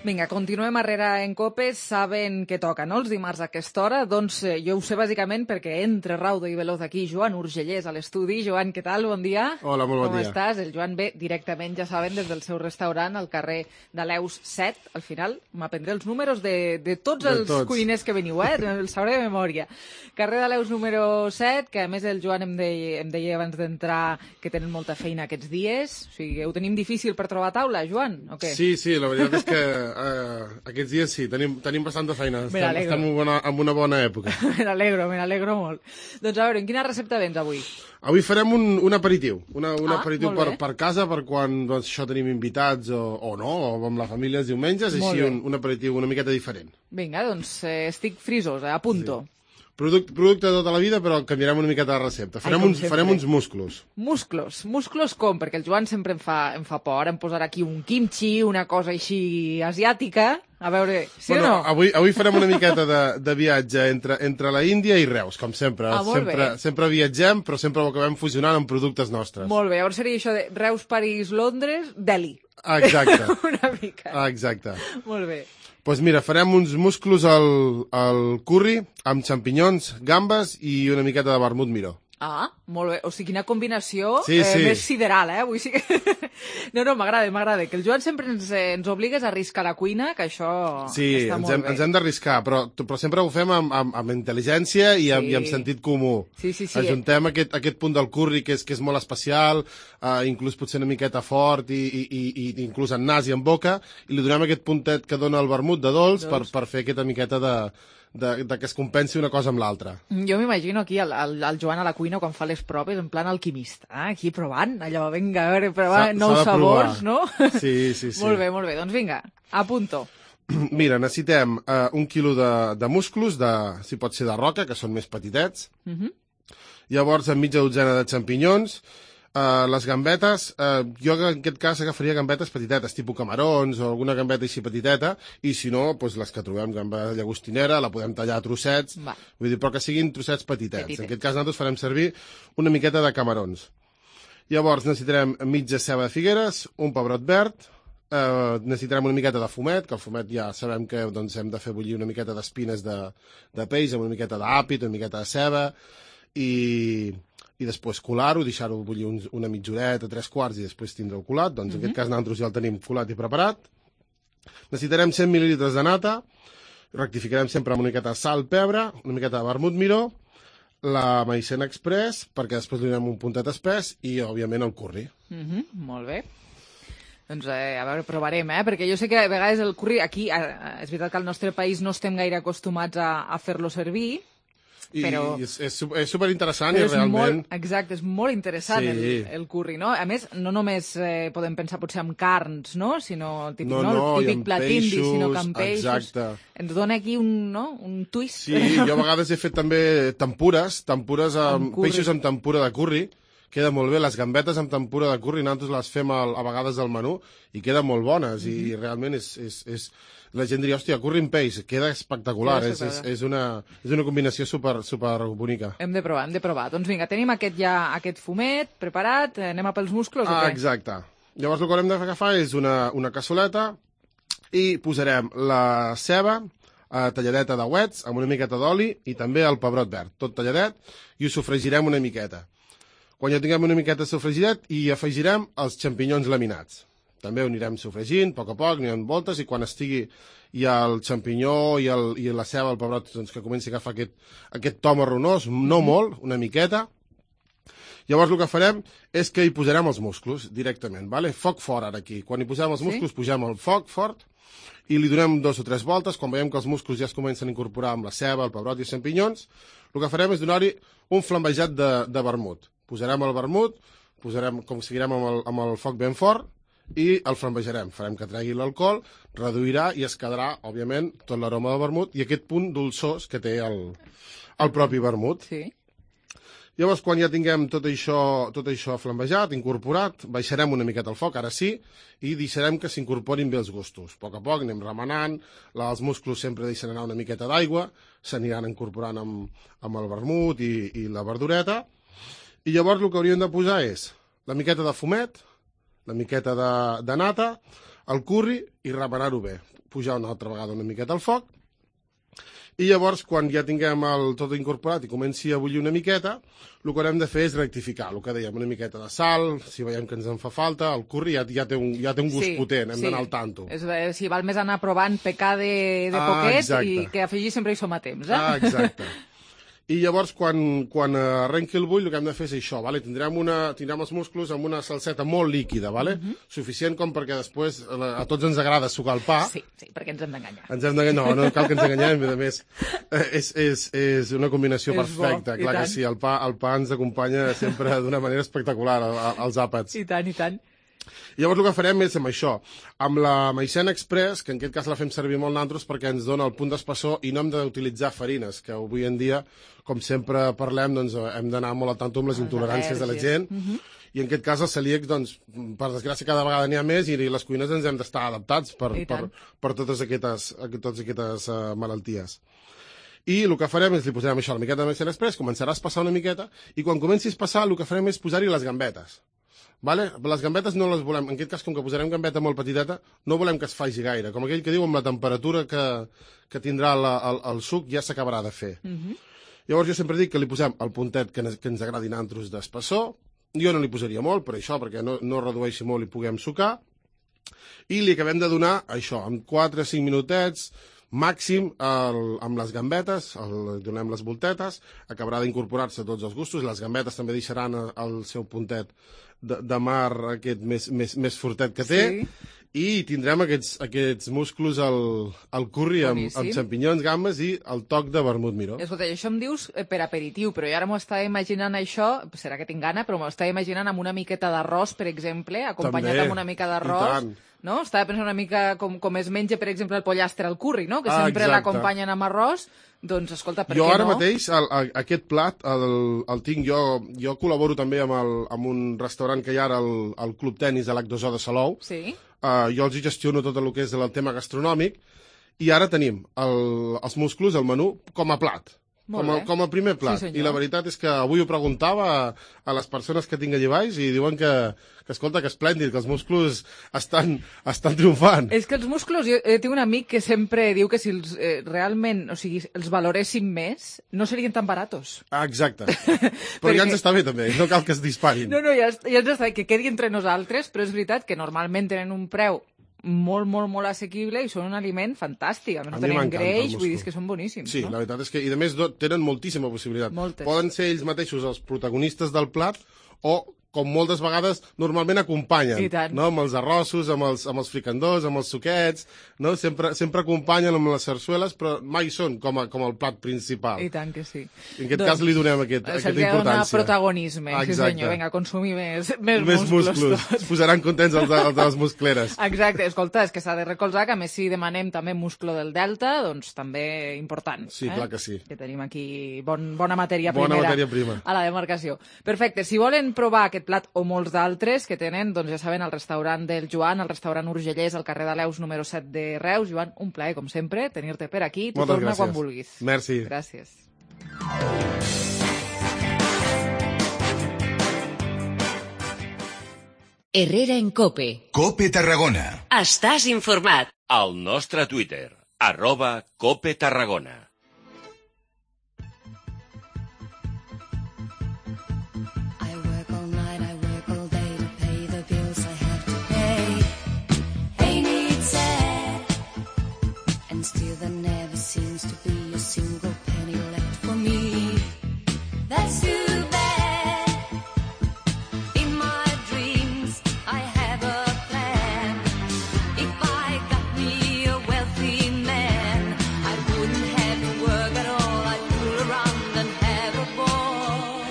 Vinga, continuem arrere en Copes, saben que toca, no?, els dimarts a aquesta hora. Doncs jo ho sé bàsicament perquè entre Raudo i Veloz aquí, Joan Urgellès a l'estudi. Joan, què tal? Bon dia. Hola, molt bon dia. Com estàs? El Joan ve directament, ja saben, des del seu restaurant al carrer de l'Eus 7. Al final m'aprendré els números de tots els cuiners que veniu, els sabré de memòria. Carrer de l'Eus número 7, que a més el Joan em deia abans d'entrar que tenen molta feina aquests dies. O sigui, ho tenim difícil per trobar taula, Joan, o què? Sí, la veritat és que aquests dies sí, tenim bastanta feina. Estem en una bona època. Me n'alegro molt. Doncs a veure, en quina recepta vens avui? Avui farem un aperitiu. Un aperitiu per casa, per quan això tenim invitats o no, o amb la família els diumenges, així un aperitiu una miqueta diferent. Vinga, doncs estic frisós, apunto. Sí. Producte de tota la vida, però canviarem una miqueta de recepta. Farem uns musclos. Musclos com? Perquè el Joan sempre em fa por. Em posarà aquí un kimchi, una cosa així asiàtica. A veure, sí o no? Avui farem una miqueta de viatge entre la Índia i Reus, com sempre. Sempre viatgem, però sempre ho acabem fusionant amb productes nostres. Molt bé, llavors seria això de Reus, París, Londres, Delhi. Exacte. Una mica. Exacte. Molt bé. Doncs mira, farem uns musclos al curri amb xampinyons, gambes i una miqueta de vermut miró. Ah, molt bé. O sigui, quina combinació sí. Més sideral, Avui sí que... No, m'agrada. Que el Joan sempre ens obligues a arriscar la cuina, que això està molt bé. Ens hem d'arriscar, però sempre ho fem amb intel·ligència i amb sentit comú. Sí. Ajuntem aquest punt del curri, que és molt especial, inclús potser una miqueta fort i inclús en nas i en boca, i li donem aquest puntet que dona el vermut de dolç per fer aquesta miqueta de que es compensi una cosa amb l'altra. Jo m'imagino aquí el Joan a la cuina quan fa les proves, en plan alquimista, aquí provant, allò, vinga, a veure, provant nous sabors, no? Sí. Molt bé, doncs vinga, apunto. Mira, necessitem 1 quilo de musclos, si pot ser de roca, que són més petitets. Llavors, mitja dotzena de xampinyons, les gambetes, jo en aquest cas agafaria gambetes petitetes, tipus camarons o alguna gambeta així petiteta, i si no, doncs les que trobem, gamba llagostinera, la podem tallar a trossets, vull dir, però que siguin trossets petitets. En aquest cas nosaltres farem servir una miqueta de camarons. Llavors necessitarem mitja ceba de figueres, un pebrot verd, necessitarem una miqueta de fumet, que el fumet ja sabem que hem de fer bullir una miqueta d'espines de peix, amb una miqueta d'àpid, una miqueta de ceba, i després colar-ho, deixar-ho bullir una mitja horeta, 3/4, i després tindre-ho colat. Doncs en aquest cas nosaltres ja el tenim colat i preparat. Necessitarem 100 mil·lilitres de nata, rectificarem sempre amb una miqueta de sal, pebre, una miqueta de vermut miró, la maicena express, perquè després li donem un puntet espès, i òbviament el curri. Molt bé. Doncs a veure, provarem, perquè jo sé que a vegades el curri aquí, és veritat que al nostre país no estem gaire acostumats a fer-lo servir, però... és superinteressant i realment... Exacte, és molt interessant el curri, no? A més, no només podem pensar potser en carns, no? Sinó el típic plat indi, sinó que en peixos. Exacte. Ens dona aquí un twist. Sí, jo a vegades he fet també tempures amb peixos amb tempura de curri. Queda molt bé, les gambetes amb tempura de curri, nosaltres les fem a vegades al menú i queden molt bones, i realment la gent diria, hòstia, curri amb peix, queda espectacular, és una combinació super bonica. Hem de provar. Doncs vinga, tenim aquest fumet preparat, anem a pels musclos o què? Exacte. Llavors el que haurem d'agafar és una cassoleta i posarem la ceba talladeta de uets amb una miqueta d'oli i també el pebrot verd, tot talladet, i ho sofregirem una miqueta. Quan ja tinguem una miqueta sofregidet, hi afegirem els xampinyons laminats. També ho anirem sofregint, a poc, anirem voltes, i quan estigui ja el xampinyó i la ceba, el pebrot, doncs, que comenci a agafar aquest to marronós, no molt, una miqueta. Llavors el que farem és que hi posarem els musclos directament, vale? Foc fort ara aquí. Quan hi posem els musclos, posem el foc fort i li donem 2 o 3 voltes. Quan veiem que els musclos ja es comencen a incorporar amb la ceba, el pebrot i els xampinyons, el que farem és donar-hi un flambejat de vermut. Posarem el vermut, seguirem amb el foc ben fort i el flambejarem. Farem que tregui l'alcohol, reduirà i es quedarà, òbviament, tot l'aroma del vermut i aquest punt dolçós que té el propi vermut. Sí. Llavors, quan ja tinguem tot això flambejat, incorporat, baixarem una miqueta el foc, ara sí, i deixarem que s'incorporin bé els gustos. A poc anem remenant, els musclos sempre deixen anar una miqueta d'aigua, s'aniran incorporant amb el vermut i la verdureta. I llavors el que hauríem de posar és la miqueta de fumet, la miqueta de nata, el curri i remenar-ho bé. Pujar una altra vegada una miqueta al foc. I llavors, quan ja tinguem tot incorporat i comenci a bullir una miqueta, el que haurem de fer és rectificar. El que dèiem, una miqueta de sal, si veiem que ens en fa falta, el curri ja té un gust potent, hem d'anar al tanto. Si val més anar provant pecar de poquet i que afegir sempre hi som a temps. Exacte. I llavors, quan arrenqui el bull, el que hem de fer és això, vale? Tindrem els músculs amb una salseta molt líquida, vale? Suficient com perquè després a tots ens agrada sucar el pa. Sí, perquè ens hem d'enganyar. No cal que ens enganyem, a més, és una combinació perfecta. Clar que sí, el pa ens acompanya sempre d'una manera espectacular, als àpats. I tant, i tant. Llavors el que farem és amb això, amb la maicena express, que en aquest cas la fem servir molt nosaltres perquè ens dona el punt d'espessor i no hem d'utilitzar farines, que avui en dia, com sempre parlem, doncs hem d'anar molt al tanto amb les intoleràncies de la gent, i en aquest cas els celíacs, doncs, per desgràcia cada vegada n'hi ha més i les cuines ens hem d'estar adaptats per totes aquestes malalties. I el que farem és, li posarem això, la miqueta de maicena express, començarà a passar una miqueta, i quan comenci a passar el que farem és posar-hi les gambetes. Vale? Les gambetes no les volem, en aquest cas, com que posarem gambeta molt petiteta, no volem que es faci gaire. Com aquell que diu, amb la temperatura que tindrà el suc ja s'acabarà de fer. Llavors jo sempre dic que li posem el puntet que ens agradi nantros d'espessor. Jo no li posaria molt, per això, perquè no redueixi molt i puguem sucar. I li acabem de donar això, amb 4 o 5 minutets, màxim amb les gambetes, donem les voltetes, acabarà d'incorporar-se tots els gustos, les gambetes també deixaran el seu puntet de mar aquest més fortet que té, i tindrem aquests músculs al curri amb xampinyons, gambes i el toc de vermut miró. Escolta, això em dius per aperitiu, però jo ara m'ho estava imaginant això, serà que tinc gana, però m'ho estava imaginant amb una miqueta d'arròs, per exemple, acompanyat amb una mica d'arròs. No? Estava pensant una mica com es menja, per exemple, el pollastre al curri, no? Que sempre l'acompanyen amb arròs. Doncs, escolta, per què no? Jo ara mateix, aquest plat, el tinc, jo col·laboro també amb un restaurant que hi ha ara al Club Tenis de l'H2O de Salou. Sí. Jo els gestiono tot el que és el tema gastronòmic, i ara tenim els músculs, el menú, com a plat. Com a primer plat. I la veritat és que avui ho preguntava a les persones que tinc allà baix i diuen que escolta, que esplèndid, que els músculs estan triomfant. És que els músculs, jo tinc un amic que sempre diu que si realment, o sigui, els valoréssim més, no serien tan baratos. Exacte. Però ja ens està bé també, no cal que es disparin. No, ja ens està bé, que quedi entre nosaltres, però és veritat que normalment tenen un preu molt assequible i són un aliment fantàstic. A més, no tenen greix, vull dir que són boníssims. Sí, la veritat és que, i a més, tenen moltíssima possibilitat. Poden ser ells mateixos els protagonistes del plat o, com moltes vegades, normalment acompanyen, no? Amb els arrossos, amb els fricandós, amb els suquets, no? Sempre acompanyen amb les sarsueles, però mai són com el plat principal. I tant que sí. En aquest cas li donem aquesta importància. Se li ha de donar protagonisme, sí senyor. Vinga, consumir més músculs. Es posaran contents els de les muscleres. Exacte, escolta, és que s'ha de recolzar que a més si demanem també musclo del delta, doncs també important. Sí, clar que sí. Que tenim aquí bona matèria primera a la demarcació. Perfecte, si volen provar aquest plat o molts d'altres que tenen, doncs ja saben, el restaurant del Joan, el restaurant Urgellès, al carrer de Leus número 7 de Reus. Joan, un plaer, com sempre, tenir-te per aquí. Tu torna quan vulguis. Merci. Gràcies. Herrera en COPE. COPE Tarragona. Estàs informat. Al nostre Twitter, @COPETarragona. And still there never seems to be a single penny left for me. That's too bad. In my dreams I have a plan. If I got me a wealthy man, I wouldn't have to work at all. I'd fool around and have a ball.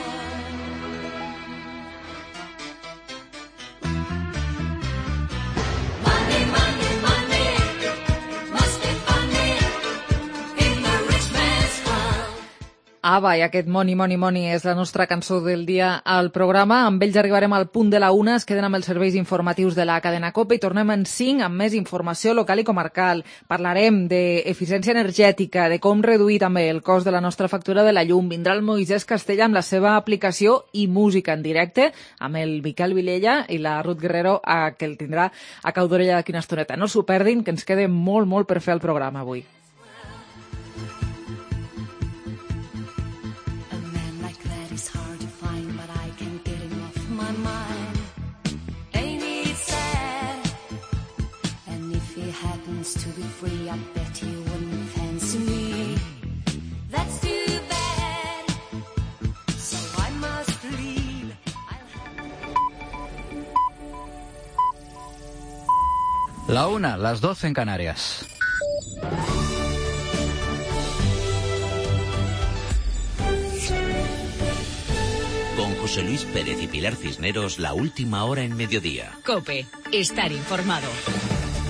Money, money, money. Ava, i aquest Money, Money, Money és la nostra cançó del dia al programa. Amb ells arribarem al punt de la 1, es queden amb els serveis informatius de la cadena COPE i tornem en 5 amb més informació local i comarcal. Parlarem d'eficiència energètica, de com reduir també el cost de la nostra factura de la llum. Vindrà el Moisès Castella amb la seva aplicació i música en directe, amb el Miquel Vilella i la Ruth Guerrero, que el tindrà a cau d'orella d'aquí una estoneta. No s'ho perdin, que ens queda molt per fer el programa avui. To be free, I bet he wouldn't fancy me. That's too bad. La 1, las 12 en Canarias. Con José Luis Pérez y Pilar Cisneros, la última hora en mediodía. COPE, estar informado.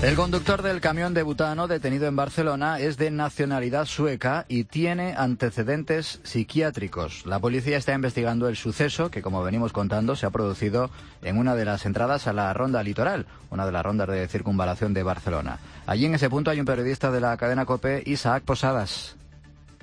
El conductor del camión de butano detenido en Barcelona es de nacionalidad sueca y tiene antecedentes psiquiátricos. La policía está investigando el suceso que, como venimos contando, se ha producido en una de las entradas a la Ronda Litoral, una de las rondas de circunvalación de Barcelona. Allí en ese punto hay un periodista de la cadena COPE, Isaac Posadas.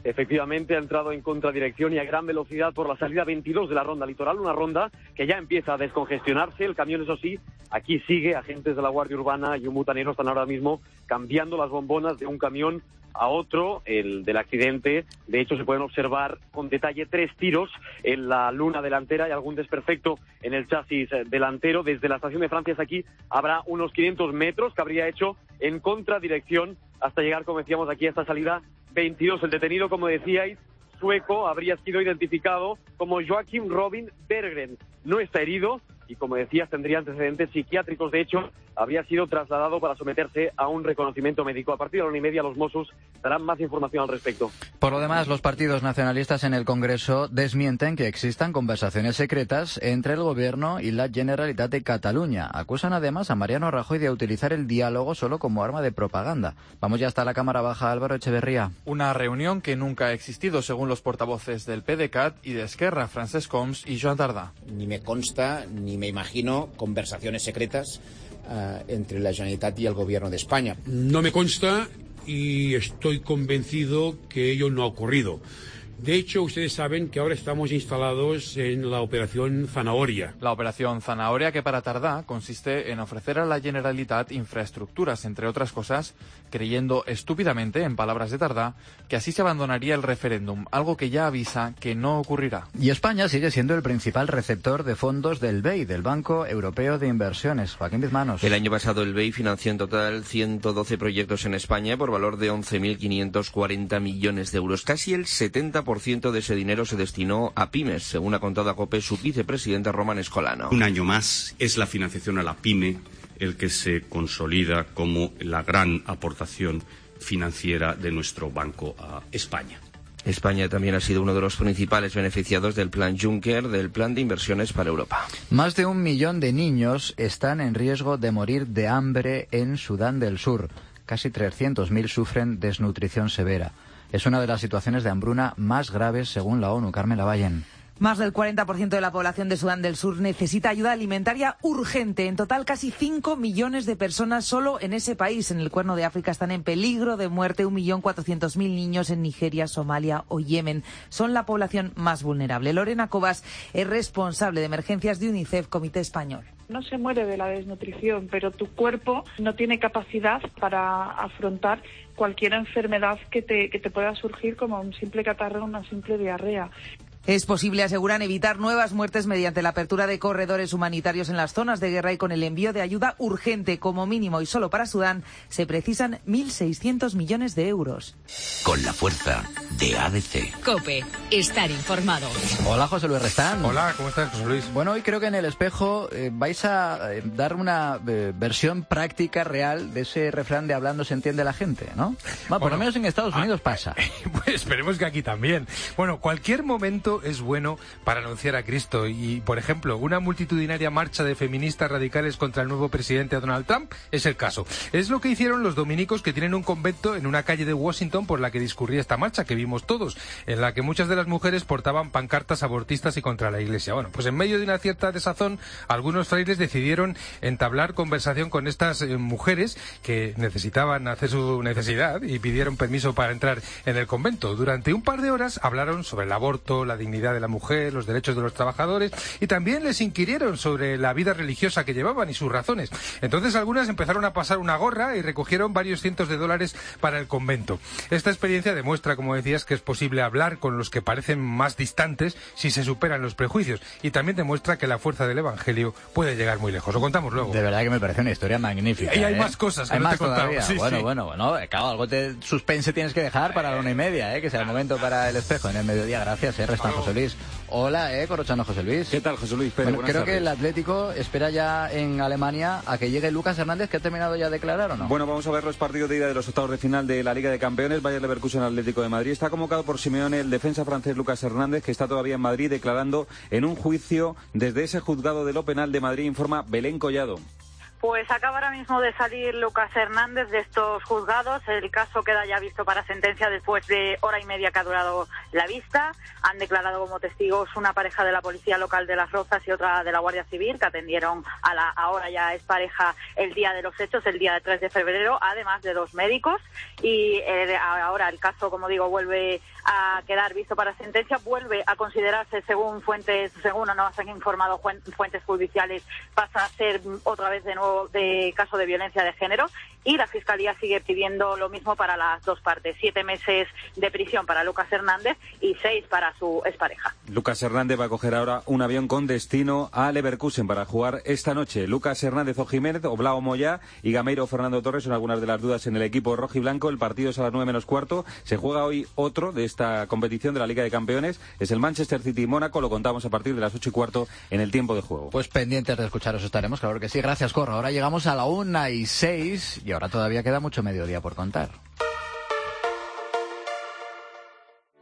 Efectivamente, ha entrado en contradirección y a gran velocidad por la salida 22 de la Ronda Litoral, una ronda que ya empieza a descongestionarse. El camión, eso sí, aquí sigue. Agentes de la Guardia Urbana y un butanero están ahora mismo cambiando las bombonas de un camión a otro, el del accidente. De hecho, se pueden observar con detalle 3 tiros en la luna delantera y algún desperfecto en el chasis delantero. Desde la estación de Francia hasta aquí habrá unos 500 metros que habría hecho en contradirección hasta llegar, como decíamos, aquí a esta salida 22. El detenido, como decíais, sueco, habría sido identificado como Joakim Robin Berggren. No está herido y, como decías, tendría antecedentes psiquiátricos. De hecho, habría sido trasladado para someterse a un reconocimiento médico. A partir de la 1:30 los Mossos darán más información al respecto. Por lo demás, los partidos nacionalistas en el Congreso desmienten que existan conversaciones secretas entre el Gobierno y la Generalitat de Cataluña. Acusan además a Mariano Rajoy de utilizar el diálogo solo como arma de propaganda. Vamos ya hasta la Cámara Baja, Álvaro Echeverría. Una reunión que nunca ha existido, según los portavoces del PDeCAT y de Esquerra, Francesc Homs y Joan Tardà. Ni me consta, ni me imagino conversaciones secretas entre la Generalitat y el Gobierno de España. No me consta y estoy convencido que ello no ha ocurrido. De hecho, ustedes saben que ahora estamos instalados en la Operación Zanahoria. La Operación Zanahoria, que para Tardà consiste en ofrecer a la Generalitat infraestructuras, entre otras cosas, creyendo estúpidamente, en palabras de Tardà, que así se abandonaría el referéndum, algo que ya avisa que no ocurrirá. Y España sigue siendo el principal receptor de fondos del BEI, del Banco Europeo de Inversiones. Joaquín Bizmanos. El año pasado el BEI financió en total 112 proyectos en España por valor de 11.540 millones de euros. Casi el 70% de ese dinero se destinó a pymes, según ha contado a COPE su vicepresidente Román Escolano. Un año más es la financiación a la pyme el que se consolida como la gran aportación financiera de nuestro banco a España. España también ha sido uno de los principales beneficiados del Plan Juncker, del Plan de Inversiones para Europa. Más de 1 millón de niños están en riesgo de morir de hambre en Sudán del Sur. Casi 300.000 sufren desnutrición severa. Es una de las situaciones de hambruna más graves según la ONU. Carmen Lavallen. Más del 40% de la población de Sudán del Sur necesita ayuda alimentaria urgente. En total, casi 5 millones de personas solo en ese país. En el Cuerno de África están en peligro de muerte 1.400.000 niños en Nigeria, Somalia o Yemen. Son la población más vulnerable. Lorena Cobas es responsable de emergencias de UNICEF, Comité Español. No se muere de la desnutrición, pero tu cuerpo no tiene capacidad para afrontar cualquier enfermedad que te pueda surgir, como un simple catarro o una simple diarrea. Es posible, aseguran, evitar nuevas muertes mediante la apertura de corredores humanitarios en las zonas de guerra y con el envío de ayuda urgente. Como mínimo, y solo para Sudán, se precisan 1.600 millones de euros. Con la fuerza de ADC. COPE, estar informado. Hola, José Luis Restán. Hola, ¿cómo estás, José Luis? Bueno, hoy creo que en El Espejo vais a dar una versión práctica, real, de ese refrán de hablando se entiende la gente, ¿no? Bueno, por lo menos en Estados Unidos pasa. Pues esperemos que aquí también. Bueno, cualquier momento es bueno para anunciar a Cristo y, por ejemplo, una multitudinaria marcha de feministas radicales contra el nuevo presidente Donald Trump es el caso. Es lo que hicieron los dominicos, que tienen un convento en una calle de Washington por la que discurría esta marcha que vimos todos, en la que muchas de las mujeres portaban pancartas abortistas y contra la Iglesia. Bueno, pues en medio de una cierta desazón, algunos frailes decidieron entablar conversación con estas mujeres que necesitaban hacer su necesidad y pidieron permiso para entrar en el convento. Durante un par de horas hablaron sobre el aborto, la dignidad de la mujer, los derechos de los trabajadores, y también les inquirieron sobre la vida religiosa que llevaban y sus razones. Entonces algunas empezaron a pasar una gorra y recogieron varios cientos de dólares para el convento. Esta experiencia demuestra, como decías, que es posible hablar con los que parecen más distantes si se superan los prejuicios, y también demuestra que la fuerza del Evangelio puede llegar muy lejos. Lo contamos luego. De verdad que me parece una historia magnífica. Y hay más cosas que no te he contado. Sí, bueno, claro, algo de suspense tienes que dejar para la 1:30, que sea el momento para El Espejo en el mediodía. Gracias, Restán. José Luis. Hola, Corrochano, José Luis. ¿Qué tal, José Luis Pérez? Bueno, creo que el Atlético espera ya en Alemania a que llegue Lucas Hernández, que ha terminado ya de declarar, ¿o no? Bueno, vamos a ver los partidos de ida de los octavos de final de la Liga de Campeones. Bayer Leverkusen Atlético de Madrid. Está convocado por Simeone el defensa francés Lucas Hernández, que está todavía en Madrid declarando en un juicio desde ese juzgado de lo penal de Madrid, informa Belén Collado. Pues acaba ahora mismo de salir Lucas Hernández de estos juzgados. El caso queda ya visto para sentencia después de hora y media que ha durado la vista. Han declarado como testigos una pareja de la Policía Local de Las Rozas y otra de la Guardia Civil, que atendieron a la ahora ya es pareja el día de los hechos, el día 3 de febrero, además de 2 médicos. Y ahora el caso, como digo, vuelve a quedar visto para sentencia, vuelve a considerarse, según nos han informado fuentes judiciales, pasa a ser otra vez de nuevo de caso de violencia de género, y la Fiscalía sigue pidiendo lo mismo para las dos partes: 7 meses de prisión para Lucas Hernández y 6 para su expareja. Lucas Hernández va a coger ahora un avión con destino a Leverkusen para jugar esta noche. Lucas Hernández o Jiménez, Oblao Moyá y Gameiro Fernando Torres son algunas de las dudas en el equipo rojiblanco. El partido es a las 9 menos cuarto. Se juega hoy otro de esta competición de la Liga de Campeones. Es el Manchester City y Mónaco. Lo contamos a partir de las 8 y cuarto en el tiempo de juego. Pues pendientes de escucharos estaremos, claro que sí. Gracias, Corro. Ahora llegamos a la 1:06 y ahora todavía queda mucho mediodía por contar.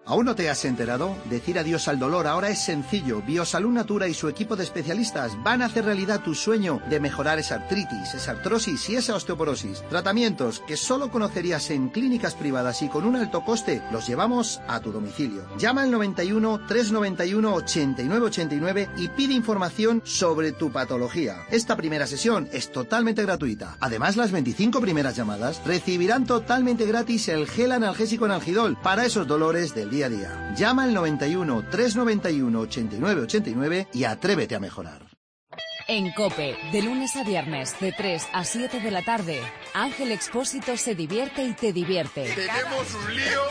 ¿Aún no te has enterado? Decir adiós al dolor ahora es sencillo. Biosalud Natura y su equipo de especialistas van a hacer realidad tu sueño de mejorar esa artritis, esa artrosis y esa osteoporosis. Tratamientos que solo conocerías en clínicas privadas y con un alto coste, los llevamos a tu domicilio. Llama al 91 391 89 89 y pide información sobre tu patología. Esta primera sesión es totalmente gratuita. Además, las 25 primeras llamadas recibirán totalmente gratis el gel analgésico Analgidol para esos dolores del día a día. Llama al 91 391 89 89 y atrévete a mejorar. En COPE, de lunes a viernes, de 3 a 7 de la tarde, Ángel Expósito se divierte y te divierte. Tenemos un lío,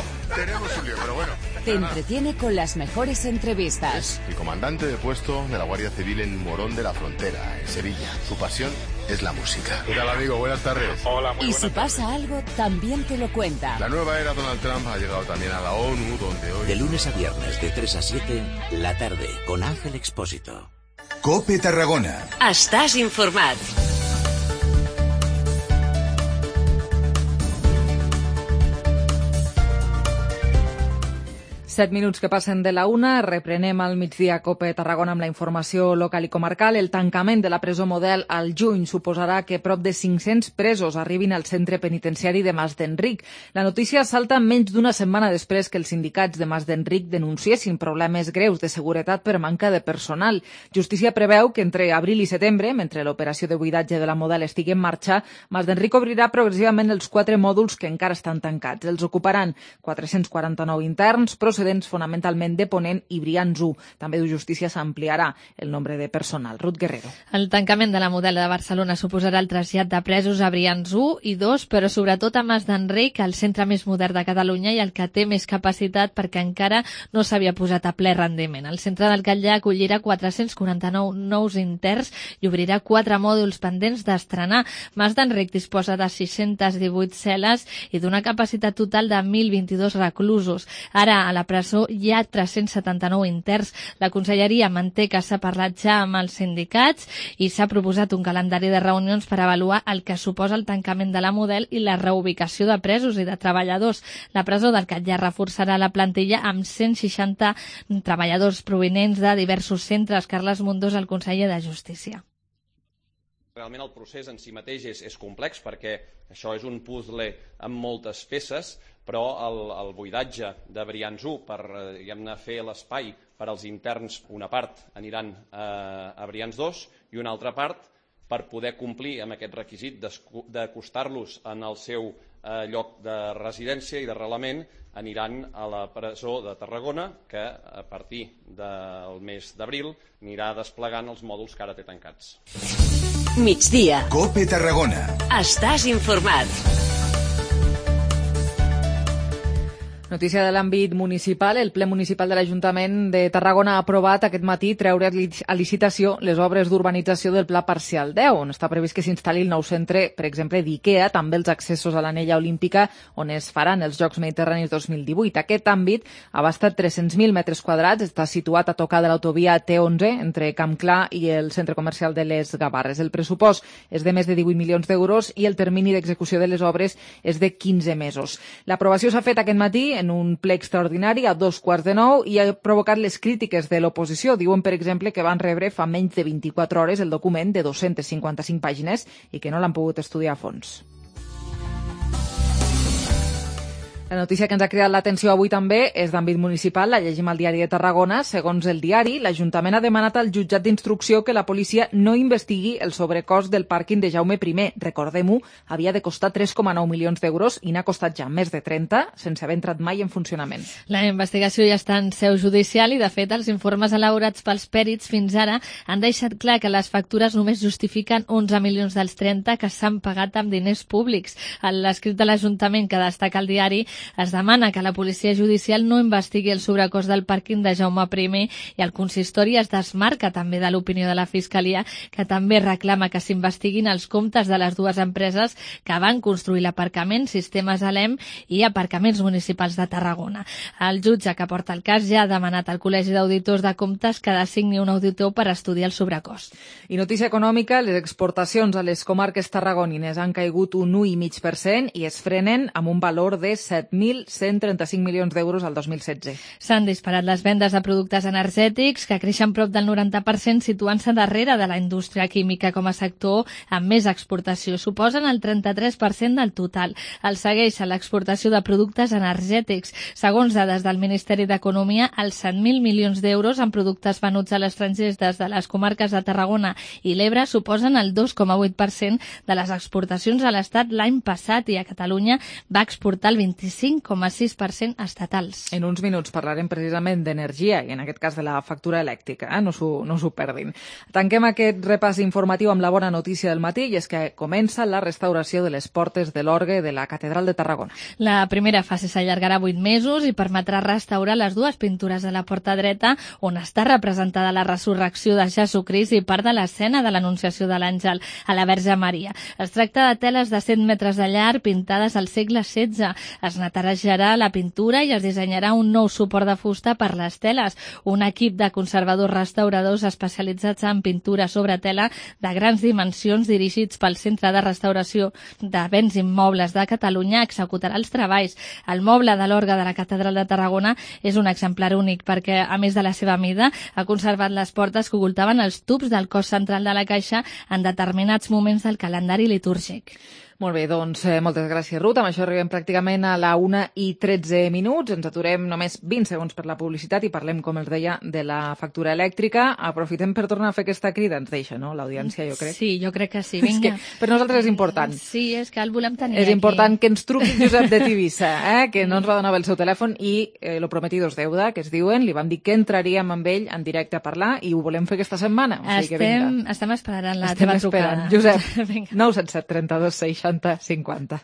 pero bueno. Te entretiene con las mejores entrevistas. Es el comandante de puesto de la Guardia Civil en Morón de la Frontera, en Sevilla. Su pasión es la música. ¿Qué tal, amigo? Buenas tardes. Hola, muy buenas tardes. Y si pasa algo, también te lo cuenta. La nueva era Donald Trump ha llegado también a la ONU, donde hoy... De lunes a viernes, de 3 a 7, la tarde, con Ángel Expósito. COPE Tarragona. Estàs informat. 7 minuts que passen de la 1, reprenem al migdia COPE Tarragona amb la informació local i comarcal. El tancament de la presó Model al juny suposarà que prop de 500 presos arribin al centre penitenciari de Mas d'Enric. La notícia salta menys d'una setmana després que els sindicats de Mas d'Enric denunciessin problemes greus de seguretat per manca de personal. Justícia preveu que entre abril i setembre, mentre l'operació de buidatge de la Model estigui en marxa, Mas d'Enric obrirà progressivament els 4 mòduls que encara estan tancats. Els ocuparan 449 interns, procedents fonamentalment de Ponent i Brians 1. També de Justícia s'ampliarà el nombre de personal. Ruth Guerrero. El tancament de la Model de Barcelona suposarà el trasllat de presos a Brians 1 i 2, però sobretot a Mas d'Enric, el centre més modern de Catalunya i el que té més capacitat perquè encara no s'havia posat a ple rendiment. El centre del Catllà acollirà 449 nous interns i obrirà 4 mòduls pendents d'estrenar. Mas d'Enric disposa de 618 cel·les i d'una capacitat total de 1.022 reclusos. Ara, a la presó hi ha 379 interns. La Conselleria manté que s'ha parlat ja amb els sindicats i s'ha proposat un calendari de reunions per avaluar el que suposa el tancament de la Model i la reubicació de presos i de treballadors. La presó del Catllà reforçarà la plantilla amb 160 treballadors provinents de diversos centres. Carles Mundós, el conseller de Justícia. Realment el procés en si mateix és complex perquè això és un puzzle amb moltes peces, però el buidatge de Brians 1 per fer l'espai per als interns, una part aniran a Brians 2 i una altra part per poder complir amb aquest requisit d'acostar-los en el seu lloc de residència i d'arrelament, aniran a la presó de Tarragona, que a partir del mes d'abril anirà desplegant els mòduls que ara té tancats. Migdia. COPE Tarragona. Estàs informat. Notícia de l'àmbit municipal. El ple municipal de l'Ajuntament de Tarragona ha aprovat aquest matí treure a licitació les obres d'urbanització del Pla Parcial 10, on està previst que s'instal·li el nou centre, per exemple, d'IKEA, també els accessos a l'anella olímpica, on es faran els Jocs Mediterranis 2018. Aquest àmbit abasta 300.000 metres quadrats, està situat a tocar de l'autovia T11 entre Camp Clar i el centre comercial de les Gavarres. El pressupost és de més de 18 milions d'euros i el termini d'execució de les obres és de 15 mesos. L'aprovació s'ha fet aquest matí en un ple extraordinari a 8:45 i ha provocat les crítiques de l'oposició. Diuen, per exemple, que van rebre fa menys de 24 hores el document de 255 pàgines i que no l'han pogut estudiar a fons. La notícia que ens ha cridat l'atenció avui també és d'àmbit municipal, la llegim al diari de Tarragona. Segons el diari, l'Ajuntament ha demanat al jutjat d'instrucció que la policia no investigui el sobrecost del pàrquing de Jaume I. Recordem-ho, havia de costar 3,9 milions d'euros i n'ha costat ja més de 30 sense haver entrat mai en funcionament. La investigació ja està en seu judicial i, de fet, els informes elaborats pels pèrits fins ara han deixat clar que les factures només justifiquen 11 milions dels 30 que s'han pagat amb diners públics. En l'escrit de l'Ajuntament que destaca el diari es demana que la policia judicial no investigui el sobrecost del pàrquing de Jaume I i el consistori es desmarca també de l'opinió de la Fiscalia, que també reclama que s'investiguin els comptes de les dues empreses que van construir l'aparcament, Sistemes Alem i Aparcaments Municipals de Tarragona. El jutge que porta el cas ja ha demanat al Col·legi d'Auditors de Comptes que designi un auditor per estudiar el sobrecost. I notícia econòmica, les exportacions a les comarques tarragonines han caigut un 1,5% i es frenen amb un valor de 7.135 milions d'euros al 2016. S'han disparat les vendes de productes energètics, que creixen prop del 90%, situant-se darrere de la indústria química com a sector amb més exportació. Suposen el 33% del total. El segueix l'exportació de productes energètics. Segons dades del Ministeri d'Economia, els 100.000 milions d'euros en productes venuts a l'estranger des de les comarques de Tarragona i l'Ebre suposen el 2,8% de les exportacions a l'Estat l'any passat i a Catalunya va exportar el 25,6% estatals. En uns minuts parlarem precisament d'energia i en aquest cas de la factura elèctrica, no s'ho perdin. Tanquem aquest repàs informatiu amb la bona notícia del matí i és que comença la restauració de les portes de l'orgue de la Catedral de Tarragona. La primera fase s'allargarà 8 mesos i permetrà restaurar les dues pintures de la porta dreta on està representada la resurrecció de Jesucrist i part de l'escena de l'Anunciació de l'Àngel a la Verge Maria. Es tracta de teles de 100 metres de llarg pintades al segle XVI. Es netejarà la pintura i es dissenyarà un nou suport de fusta per les teles. Un equip de conservadors restauradors especialitzats en pintura sobre tela de grans dimensions dirigits pel Centre de Restauració de Béns Immobles de Catalunya executarà els treballs. El moble de l'orgue de la Catedral de Tarragona és un exemplar únic perquè, a més de la seva mida, ha conservat les portes que ocultaven els tubs del cos central de la caixa en determinats moments del calendari litúrgic. Molt bé, doncs moltes gràcies, Ruth. Amb això arribem pràcticament a la 1:13. Ens aturem només 20 segons per la publicitat i parlem, com els deia, de la factura elèctrica. Aprofitem per tornar a fer aquesta crida. Ens deixa, no?, l'audiència, jo crec. Sí, jo crec que sí. Vinga. És que per nosaltres és important. Sí, és que el volem tenir És aquí. important que ens truqui Josep de Tivissa, que no ens va donar el seu telèfon i lo prometido es deuda, que es diuen. Li vam dir que entraríem amb ell en directe a parlar i ho volem fer aquesta setmana. O sigui que vinga. Estem esperant la teva trucada. Josep, 977 32 60 50.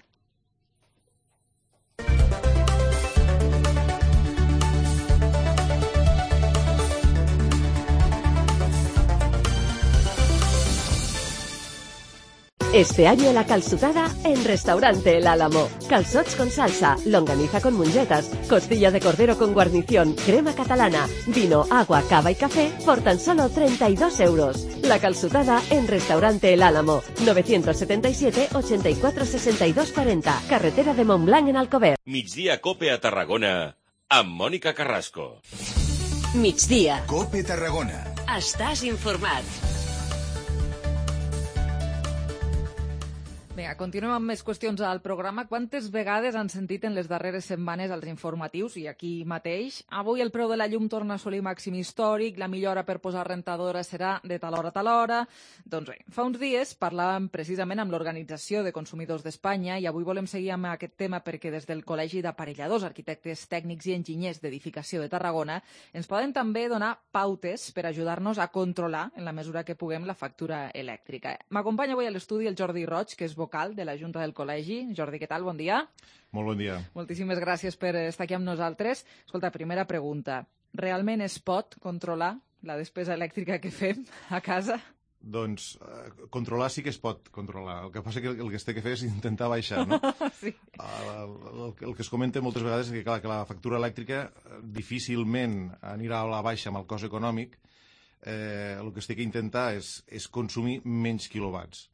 Este año la calzutada en Restaurante El Álamo. Calzots con salsa, longaniza con mungetas, costilla de cordero con guarnición, crema catalana, vino, agua, cava y café por tan solo 32 euros. La calzutada en Restaurante El Álamo. 977 84 62 40. Carretera de Montblanc en Alcover. Migdia Cope a Tarragona amb Mònica Carrasco. Migdia. Cope Tarragona. Estàs informat. Vinga, continuem amb més qüestions al programa. Quantes vegades han sentit en les darreres setmanes els informatius, i aquí mateix, avui el preu de la llum torna a assolir màxim històric, la millora per posar rentadora serà de tal hora a tal hora... Doncs bé, fa uns dies parlàvem precisament amb l'Organització de Consumidors d'Espanya i avui volem seguir amb aquest tema perquè des del Col·legi d'Aparelladors, Arquitectes Tècnics i Enginyers d'Edificació de Tarragona ens poden també donar pautes per ajudar-nos a controlar, en la mesura que puguem, la factura elèctrica. M'acompanya avui a l'estudi el Jordi Roig, que és vocal vocal de la Junta del Col·legi. Jordi, què tal? Bon dia. Molt bon dia. Moltíssimes gràcies per estar aquí amb nosaltres. Escolta, primera pregunta. Realment es pot controlar la despesa elèctrica que fem a casa? Doncs controlar sí que es pot controlar. El que passa que el que es té que fer és intentar baixar, no? Sí. El que es comenta moltes vegades és que, clar, que la factura elèctrica difícilment anirà a la baixa amb el cost econòmic. El que es té que intentar és consumir menys quilowatts.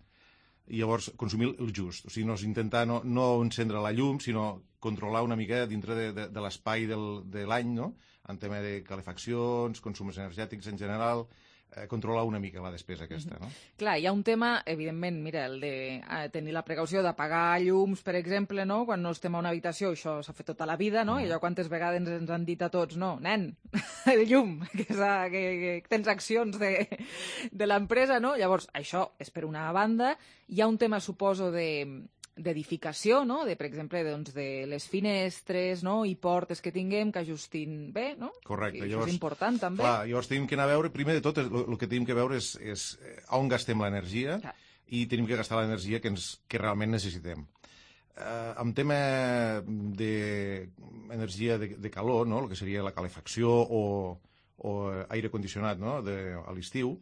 I llavors consumir el just. O sigui, no és intentar no encendre la llum, sinó controlar una mica dintre de l'espai de l'any, no? En tema de calefaccions, consums energètics en general, controlar una mica la despesa aquesta, no? Clar, hi ha un tema, evidentment, mira, el de tenir la precaució d'apagar llums, per exemple, no? Quan no estem a una habitació, això s'ha fet tota la vida, no? I allò quantes vegades ens han dit a tots, no, nen, el llum, que tens accions de l'empresa, no? Llavors, això és per una banda. Hi ha un tema, suposo, d'edificació, no? Per exemple, de les finestres, no? I portes que tinguem que ajustin bé, no? Correcte. I això és important, també. Clar, llavors tenim que anar a veure, primer de tot, el que tenim que veure és on gastem l'energia i tenim que gastar l'energia que realment necessitem. En tema d'energia de calor, no? El que seria la calefacció o aire condicionat, no? A l'estiu,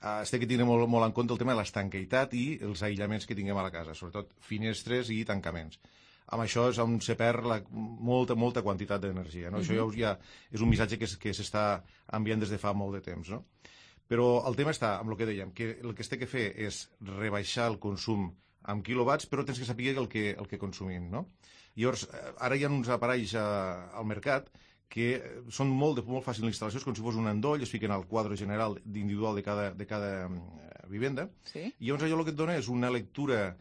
es té que tenir molt en compte el tema de l'estanqueïtat i els aïllaments que tinguem a la casa, sobretot finestres i tancaments. Amb això és on se perd molta quantitat d'energia, no? Això ja és un missatge que s'està enviant des de fa molt de temps, no? Però el tema està amb el que dèiem, que el que es té que fer és rebaixar el consum amb quilowatts, però tens que saber el que consumim, no? Llavors, ara hi ha uns aparells al mercat que són molt fàcils d'instal·lació, com si fos un endoll, es fiquen al quadre general individual de cada vivenda, i llavors allò el que et dona és una lectura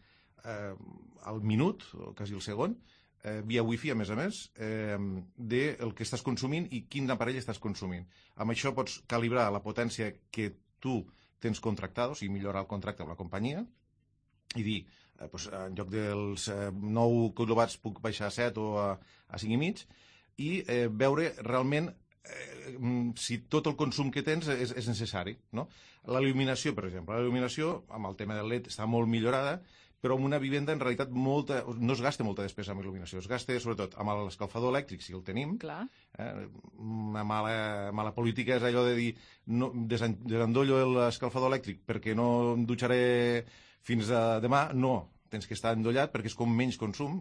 al minut, o quasi al segon, via wifi, a més, del que estàs consumint i quin aparell estàs consumint. Amb això pots calibrar la potència que tu tens contractada, o sigui, millorar el contracte amb la companyia, i dir, en lloc dels 9 quilowatts puc baixar a 7 o a 5,5, i veure realment si tot el consum que tens és necessari, no? La il·luminació, per exemple. La il·luminació, amb el tema del LED, està molt millorada, però en una vivenda, en realitat, no es gasta molta despesa amb il·luminació. Es gasta, sobretot, amb l'escalfador elèctric, si el tenim. Clar. Una mala política és allò de dir desendollo l'escalfador elèctric perquè no em dutxaré fins a demà. No. Tens que estar endollat perquè és com menys consum,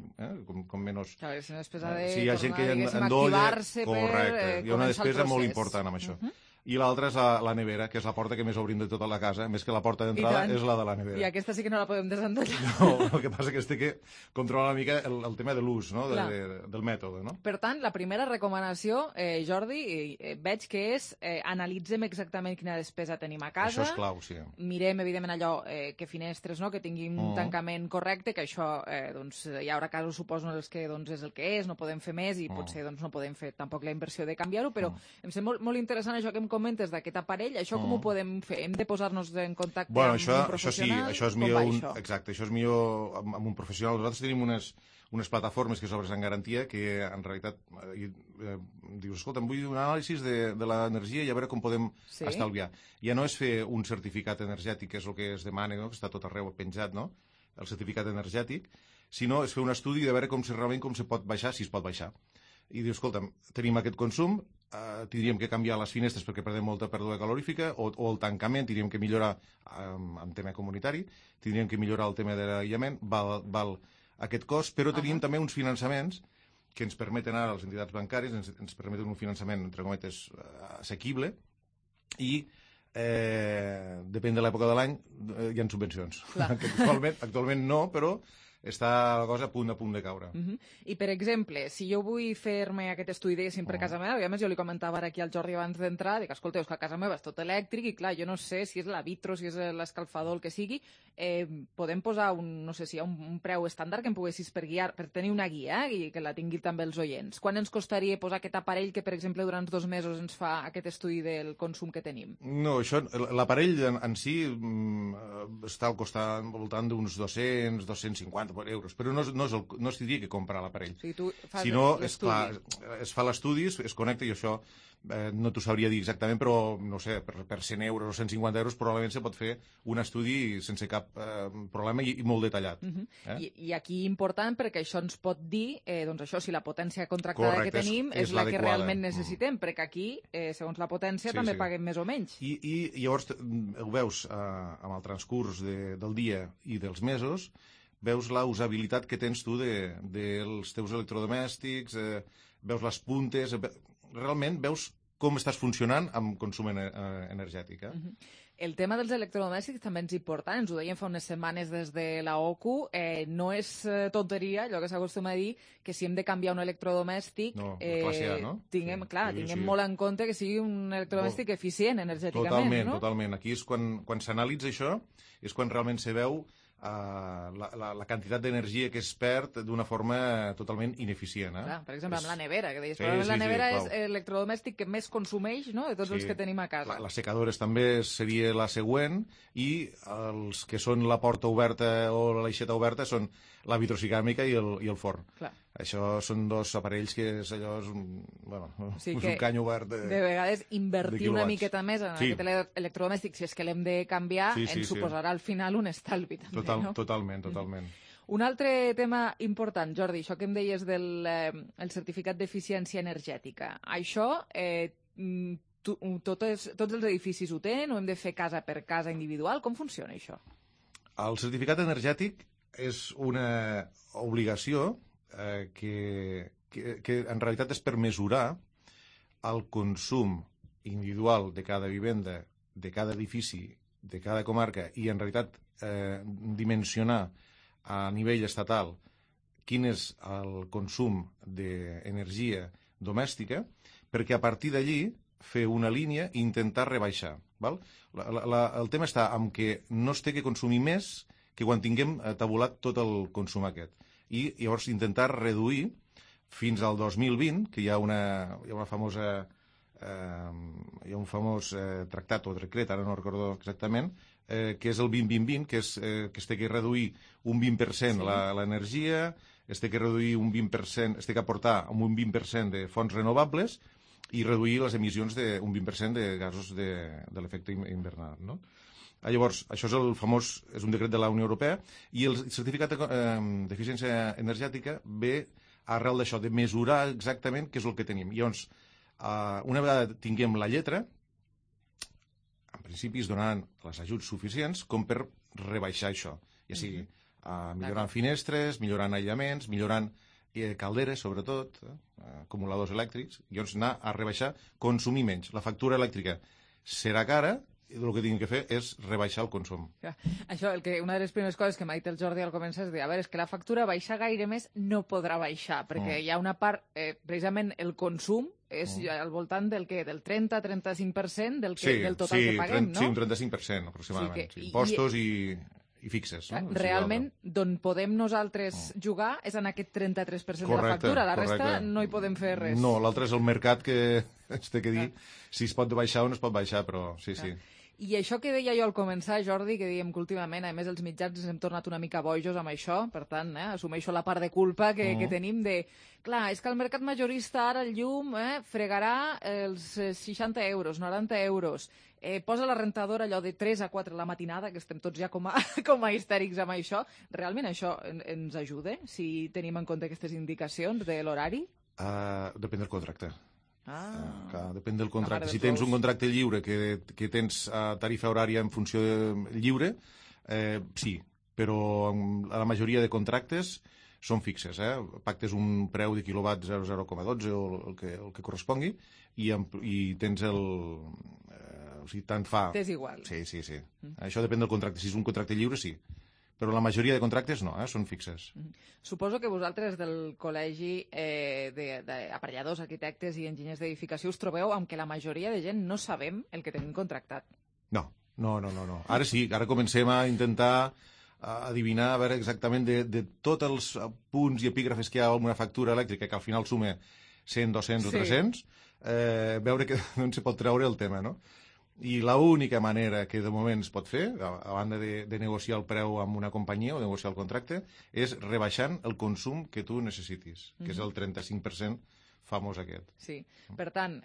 com menys... Clar, és una despesa de hi ha gent que activar-se per... Correcte, hi ha una despesa molt important amb això. I l'altra és la nevera, que és la porta que més obrim de tota la casa, més que la porta d'entrada és la de la nevera. I aquesta sí que no la podem desendollar. No, el que passa que es té que controlar una mica el tema de l'ús, no? Del mètode, no? Per tant, la primera recomanació, Jordi, veig que és analitzem exactament quina despesa tenim a casa. Això és clau, sí. Mirem, evidentment, allò que finestres, no? Que tinguin un tancament correcte, que això hi haurà casos, suposo, en els que és el que és, no podem fer més i potser no podem fer tampoc la inversió de canviar-ho, però em sembla molt interessant això que em comentes d'aquest aparell, això com ho podem fer? Hem de posar-nos en contacte amb un professional? Això és millor, exacte, això és millor amb un professional. Nosaltres tenim unes plataformes que s'obren en garantia que en realitat dius, escolta, em vull un anàlisi de l'energia i a veure com podem estalviar. Ja no és fer un certificat energètic, que és el que es demana, que està tot arreu penjat, no? El certificat energètic, sinó és fer un estudi de veure realment com se pot baixar, si es pot baixar. I dius, escolta, tenim aquest consum, tindríem que canviar les finestres perquè perdem molta pèrdua calorífica, o el tancament tindríem que millorar en tema comunitari, tindríem que millorar el tema de l'aïllament, val aquest cost, però tenim també uns finançaments que ens permeten ara, les entitats bancàries, ens permeten un finançament, entre cometes, assequible, i depèn de l'època de l'any, hi ha subvencions. Actualment no, però està la cosa a punt de caure. I, per exemple, si jo vull fer-me aquest estudi, diguéssim, per casa meva, i a més jo li comentava ara aquí al Jordi abans d'entrar, dic, escolta, és que a casa meva és tot elèctric i, clar, jo no sé si és la vitro, si és l'escalfador, el que sigui, podem posar no sé si hi ha un preu estàndard que em poguessis per guiar, per tenir una guia i que la tingui també els oients. Quan ens costaria posar aquest aparell que, per exemple, durant 2 mesos ens fa aquest estudi del consum que tenim? No, l'aparell en si està al voltant d'uns 200, 250, euros. Però no es diria que comprar l'aparell. Sí, tu fas sinó, l'estudi. es fa l'estudi, es connecta, i això no t'ho sabria dir exactament, però, no sé, per 100 euros o 150 euros probablement se pot fer un estudi sense cap problema i molt detallat. I aquí important, perquè això ens pot dir, doncs això, si la potència contractada que tenim és la que realment necessitem, perquè aquí, segons la potència, també paguem més o menys. I llavors ho veus amb el transcurs del dia i dels mesos, veus la usabilitat que tens tu dels teus electrodomèstics, veus les puntes, realment veus com estàs funcionant amb consum energètic. El tema dels electrodomèstics també és important, ens ho deien fa unes setmanes des de la OCU, no és tonteria, allò que s'acostuma a dir, que si hem de canviar un electrodomèstic, tinguem molt en compte que sigui un electrodomèstic eficient energèticament. Totalment. Aquí és quan s'analitza això, és quan realment se veu la quantitat d'energia que es perd d'una forma totalment ineficient. Clar, per exemple, amb la nevera, que deies, probablement la nevera és l'electrodomèstic que més consumeix, no?, de tots els que tenim a casa. Les secadores també seria la següent, i els que són la porta oberta o l'aixeta oberta són la vitrocicàmica i el forn. Clar. Això són dos aparells que és allò, és un cany obert de vegades invertir una miqueta més en aquest electrodomèstic, si és que l'hem de canviar, ens suposarà al final un estalvi també, no? Totalment. Un altre tema important, Jordi, això que em deies del certificat d'eficiència energètica. Això, tots els edificis ho tenen o hem de fer casa per casa individual? Com funciona això? El certificat energètic és una obligació que en realitat és per mesurar el consum individual de cada vivenda, de cada edifici, de cada comarca, i en realitat dimensionar a nivell estatal quin és el consum d'energia domèstica, perquè a partir d'allí fer una línia i intentar rebaixar. Val? El tema està en que no es té que consumir més que quan tinguem tabulat tot el consum aquest. I llavors intentar reduir fins al 2020, que hi ha una famosa hi ha un famós tractat o decret, ara no recordo exactament, que és el 20-20-20, que es té que reduir un 20% l'energia, es té que reduir un 20%, es té que aportar un 20% de fonts renovables i reduir les emissions d'un 20% de gasos de l'efecte invernador, no? Llavors, això és un decret de la Unió Europea, i el certificat d'eficiència energètica ve arrel d'això, de mesurar exactament què és el que tenim. Llavors, una vegada tinguem la lletra, en principi es donaran els ajuts suficients com per rebaixar això, ja sigui millorant finestres, millorant aïllaments, millorant calderes, sobretot, acumuladors elèctrics, llavors anar a rebaixar, consumir menys. La factura elèctrica serà cara, i el que tinguin que fer és rebaixar el consum. Això, una de les primeres coses que m'ha dit el Jordi al començar és dir, a veure, és que la factura baixar gaire més no podrà baixar, perquè hi ha una part, precisament el consum és al voltant del 30-35% del total que paguem, no? Sí, un 35% aproximadament. Impostos i fixes. Realment, d'on podem nosaltres jugar és en aquest 33% de la factura, la resta no hi podem fer res. No, l'altre és el mercat que ens té que dir si es pot baixar o no es pot baixar, però sí. I això que deia jo al començar, Jordi, que dèiem que últimament, a més, els mitjans ens hem tornat una mica bojos amb això, per tant, assumeixo la part de culpa que tenim de... Clar, és que el mercat majorista ara el llum fregarà els 60 euros, 90 euros, posa la rentadora allò de 3 a 4 a la matinada, que estem tots ja com a histèrics amb això. Realment això ens ajuda, si tenim en compte aquestes indicacions de l'horari? Depèn del contracte. Depèn del contracte. Si tens un contracte lliure que tens tarifa horària en funció lliure, sí, però la majoria de contractes són fixes. Pactes un preu de quilowatt 0,0,12 o el que correspongui i tens o sigui, tant fa... T'és igual. Sí. Això depèn del contracte. Si és un contracte lliure, sí. Però la majoria de contractes no, són fixes. Suposo que vosaltres del Col·legi d'Aparelladors, Arquitectes i Enginyers d'Edificació us trobeu amb que la majoria de gent no sabem el que tenim contractat. No. Ara sí, ara comencem a intentar adivinar, a veure exactament de tots els punts i epígrafes que hi ha en una factura elèctrica, que al final suma 100, 200 o 300, veure d'on se pot treure el tema, no? I l'única manera que de moment es pot fer, a banda de negociar el preu amb una companyia o de negociar el contracte, és rebaixant el consum que tu necessitis, que és el 35% famós aquest. Sí, per tant,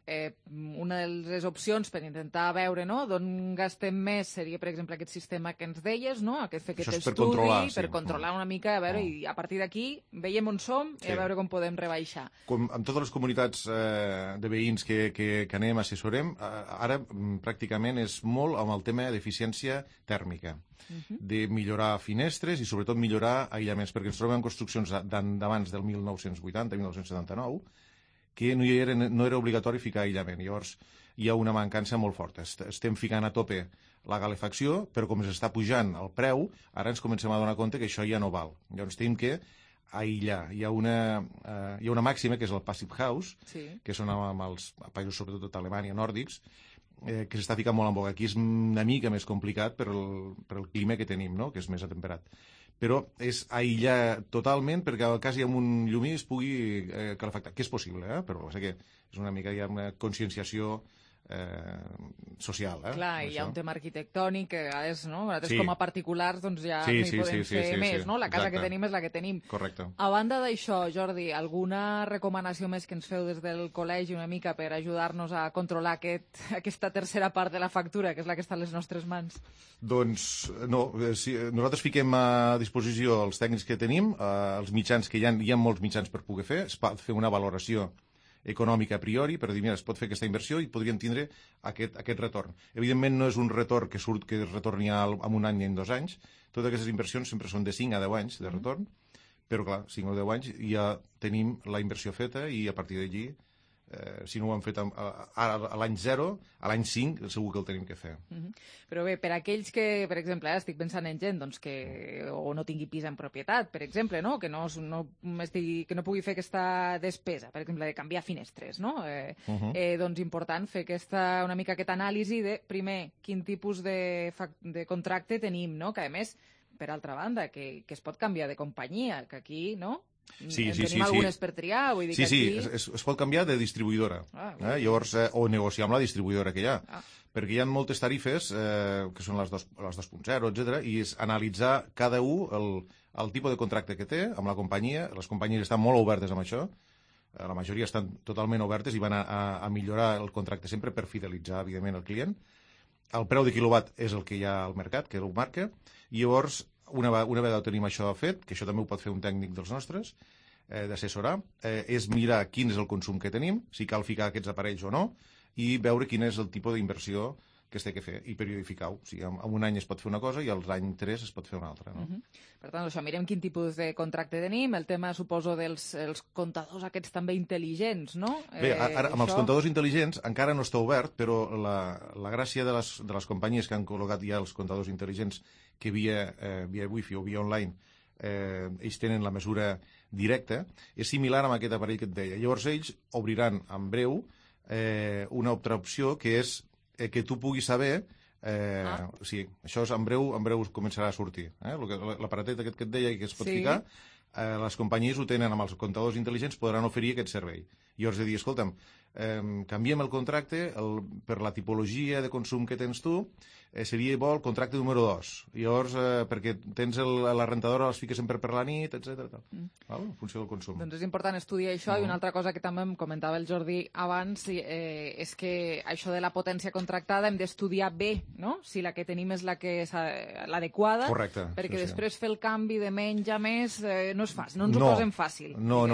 una de les opcions per intentar veure, no?, d'on gastem més seria, per exemple, aquest sistema que ens deies, no?, fer aquest estudi, per controlar una mica, a veure, i a partir d'aquí veiem on som i a veure com podem rebaixar. Com amb totes les comunitats de veïns que anem, assessorem, ara pràcticament és molt amb el tema d'eficiència tèrmica, de millorar finestres i sobretot millorar aïllaments, perquè ens trobem en construccions d'abans del 1980-1979 que no era obligatori ficar aïllament. Llavors hi ha una mancança molt forta. Estem ficant a tope la calefacció, però com s'està pujant el preu, ara ens comencem a donar compte que això ja no val. Llavors tenim que aïllar. Hi ha una màxima que és el Passive House, que són amb els països, sobretot d'Alemanya, nòrdics, que s'està ficant molt en boga. Aquí és una mica més complicat per el clima que tenim, no?, que és més atemperat. Però és aïllar totalment perquè al cas hi ha un llumí es pugui calefactar, que és possible, però sé que és una mica, hi ha una conscienciació social. Clar, hi ha un tema arquitectònic que a vegades, no?, nosaltres com a particulars doncs ja no hi podem fer més, no? La casa que tenim és la que tenim. Correcte. A banda d'això, Jordi, alguna recomanació més que ens feu des del col·legi una mica per ajudar-nos a controlar aquesta tercera part de la factura, que és la que està a les nostres mans? Doncs no, nosaltres fiquem a disposició els tècnics que tenim, els mitjans que hi ha molts mitjans per poder fer, es pot fer una valoració econòmica a priori, per dir, mira, es pot fer aquesta inversió i podrien tindre aquest retorn. Evidentment no és un retorn que es retorni en un any ni en 2 anys. Totes aquestes inversions sempre són de 5 a 10 anys de retorn, però clar, 5 o 10 anys ja tenim la inversió feta i a partir d'allí, si no ho hem fet a l'any 0, a l'any 5 segur que el tenim que fer. Però bé, per aquells que, per exemple, estic pensant en gent doncs, que o no tingui pis en propietat, per exemple, no? Que no pugui fer aquesta despesa, per exemple, de canviar finestres, no? Doncs important fer una mica aquesta anàlisi de, primer, quin tipus de contracte tenim, no? Que a més, per altra banda, que es pot canviar de companyia, que aquí, no? Tenim algunes per triar, vull dir que aquí... es pot canviar de distribuïdora, llavors, o negociar amb la distribuïdora que hi ha, perquè hi ha moltes tarifes que són les 2.0, etc., i és analitzar cada un el tipus de contracte que té amb la companyia. Les companyies estan molt obertes amb això, la majoria estan totalment obertes i van a millorar el contracte sempre per fidelitzar, evidentment, el client. El preu de quilowatt és el que hi ha al mercat, que ho marca, i llavors una vegada tenim això fet, que això també ho pot fer un tècnic dels nostres, d'assessorar, és mirar quin és el consum que tenim, si cal ficar aquests aparells o no, i veure quin és el tipus d'inversió que es té que fer, i periodificar-ho. O sigui, en un any es pot fer una cosa i a l'any 3 es pot fer una altra. No? Per tant, això, mirem quin tipus de contracte tenim, el tema, suposo, dels comptadors aquests també intel·ligents, no? Bé, ara, amb els comptadors intel·ligents encara no està obert, però la gràcia de les companyies que han col·locat ja els comptadors intel·ligents que via wifi o via online ells tenen la mesura directa, és similar amb aquest aparell que et deia. Llavors ells obriran en breu una altra opció que és que tu puguis saber sí, això en breu començarà a sortir. L'aparatet aquest que et deia que es pot ficar, les companyies ho tenen amb els comptadors intel·ligents, podran oferir aquest servei. Llavors de dir, escolta'm, canviem el contracte per la tipologia de consum que tens tu, seria bo el contracte número 2. Llavors, perquè tens la rentadora, les fiques sempre per la nit, etc. En funció del consum. Doncs és important estudiar això, i una altra cosa que també em comentava el Jordi abans és que això de la potència contractada hem d'estudiar bé, no? Si la que tenim és l'adequada, perquè després fer el canvi de menys a més no és fàcil, no ens ho posem fàcil. No,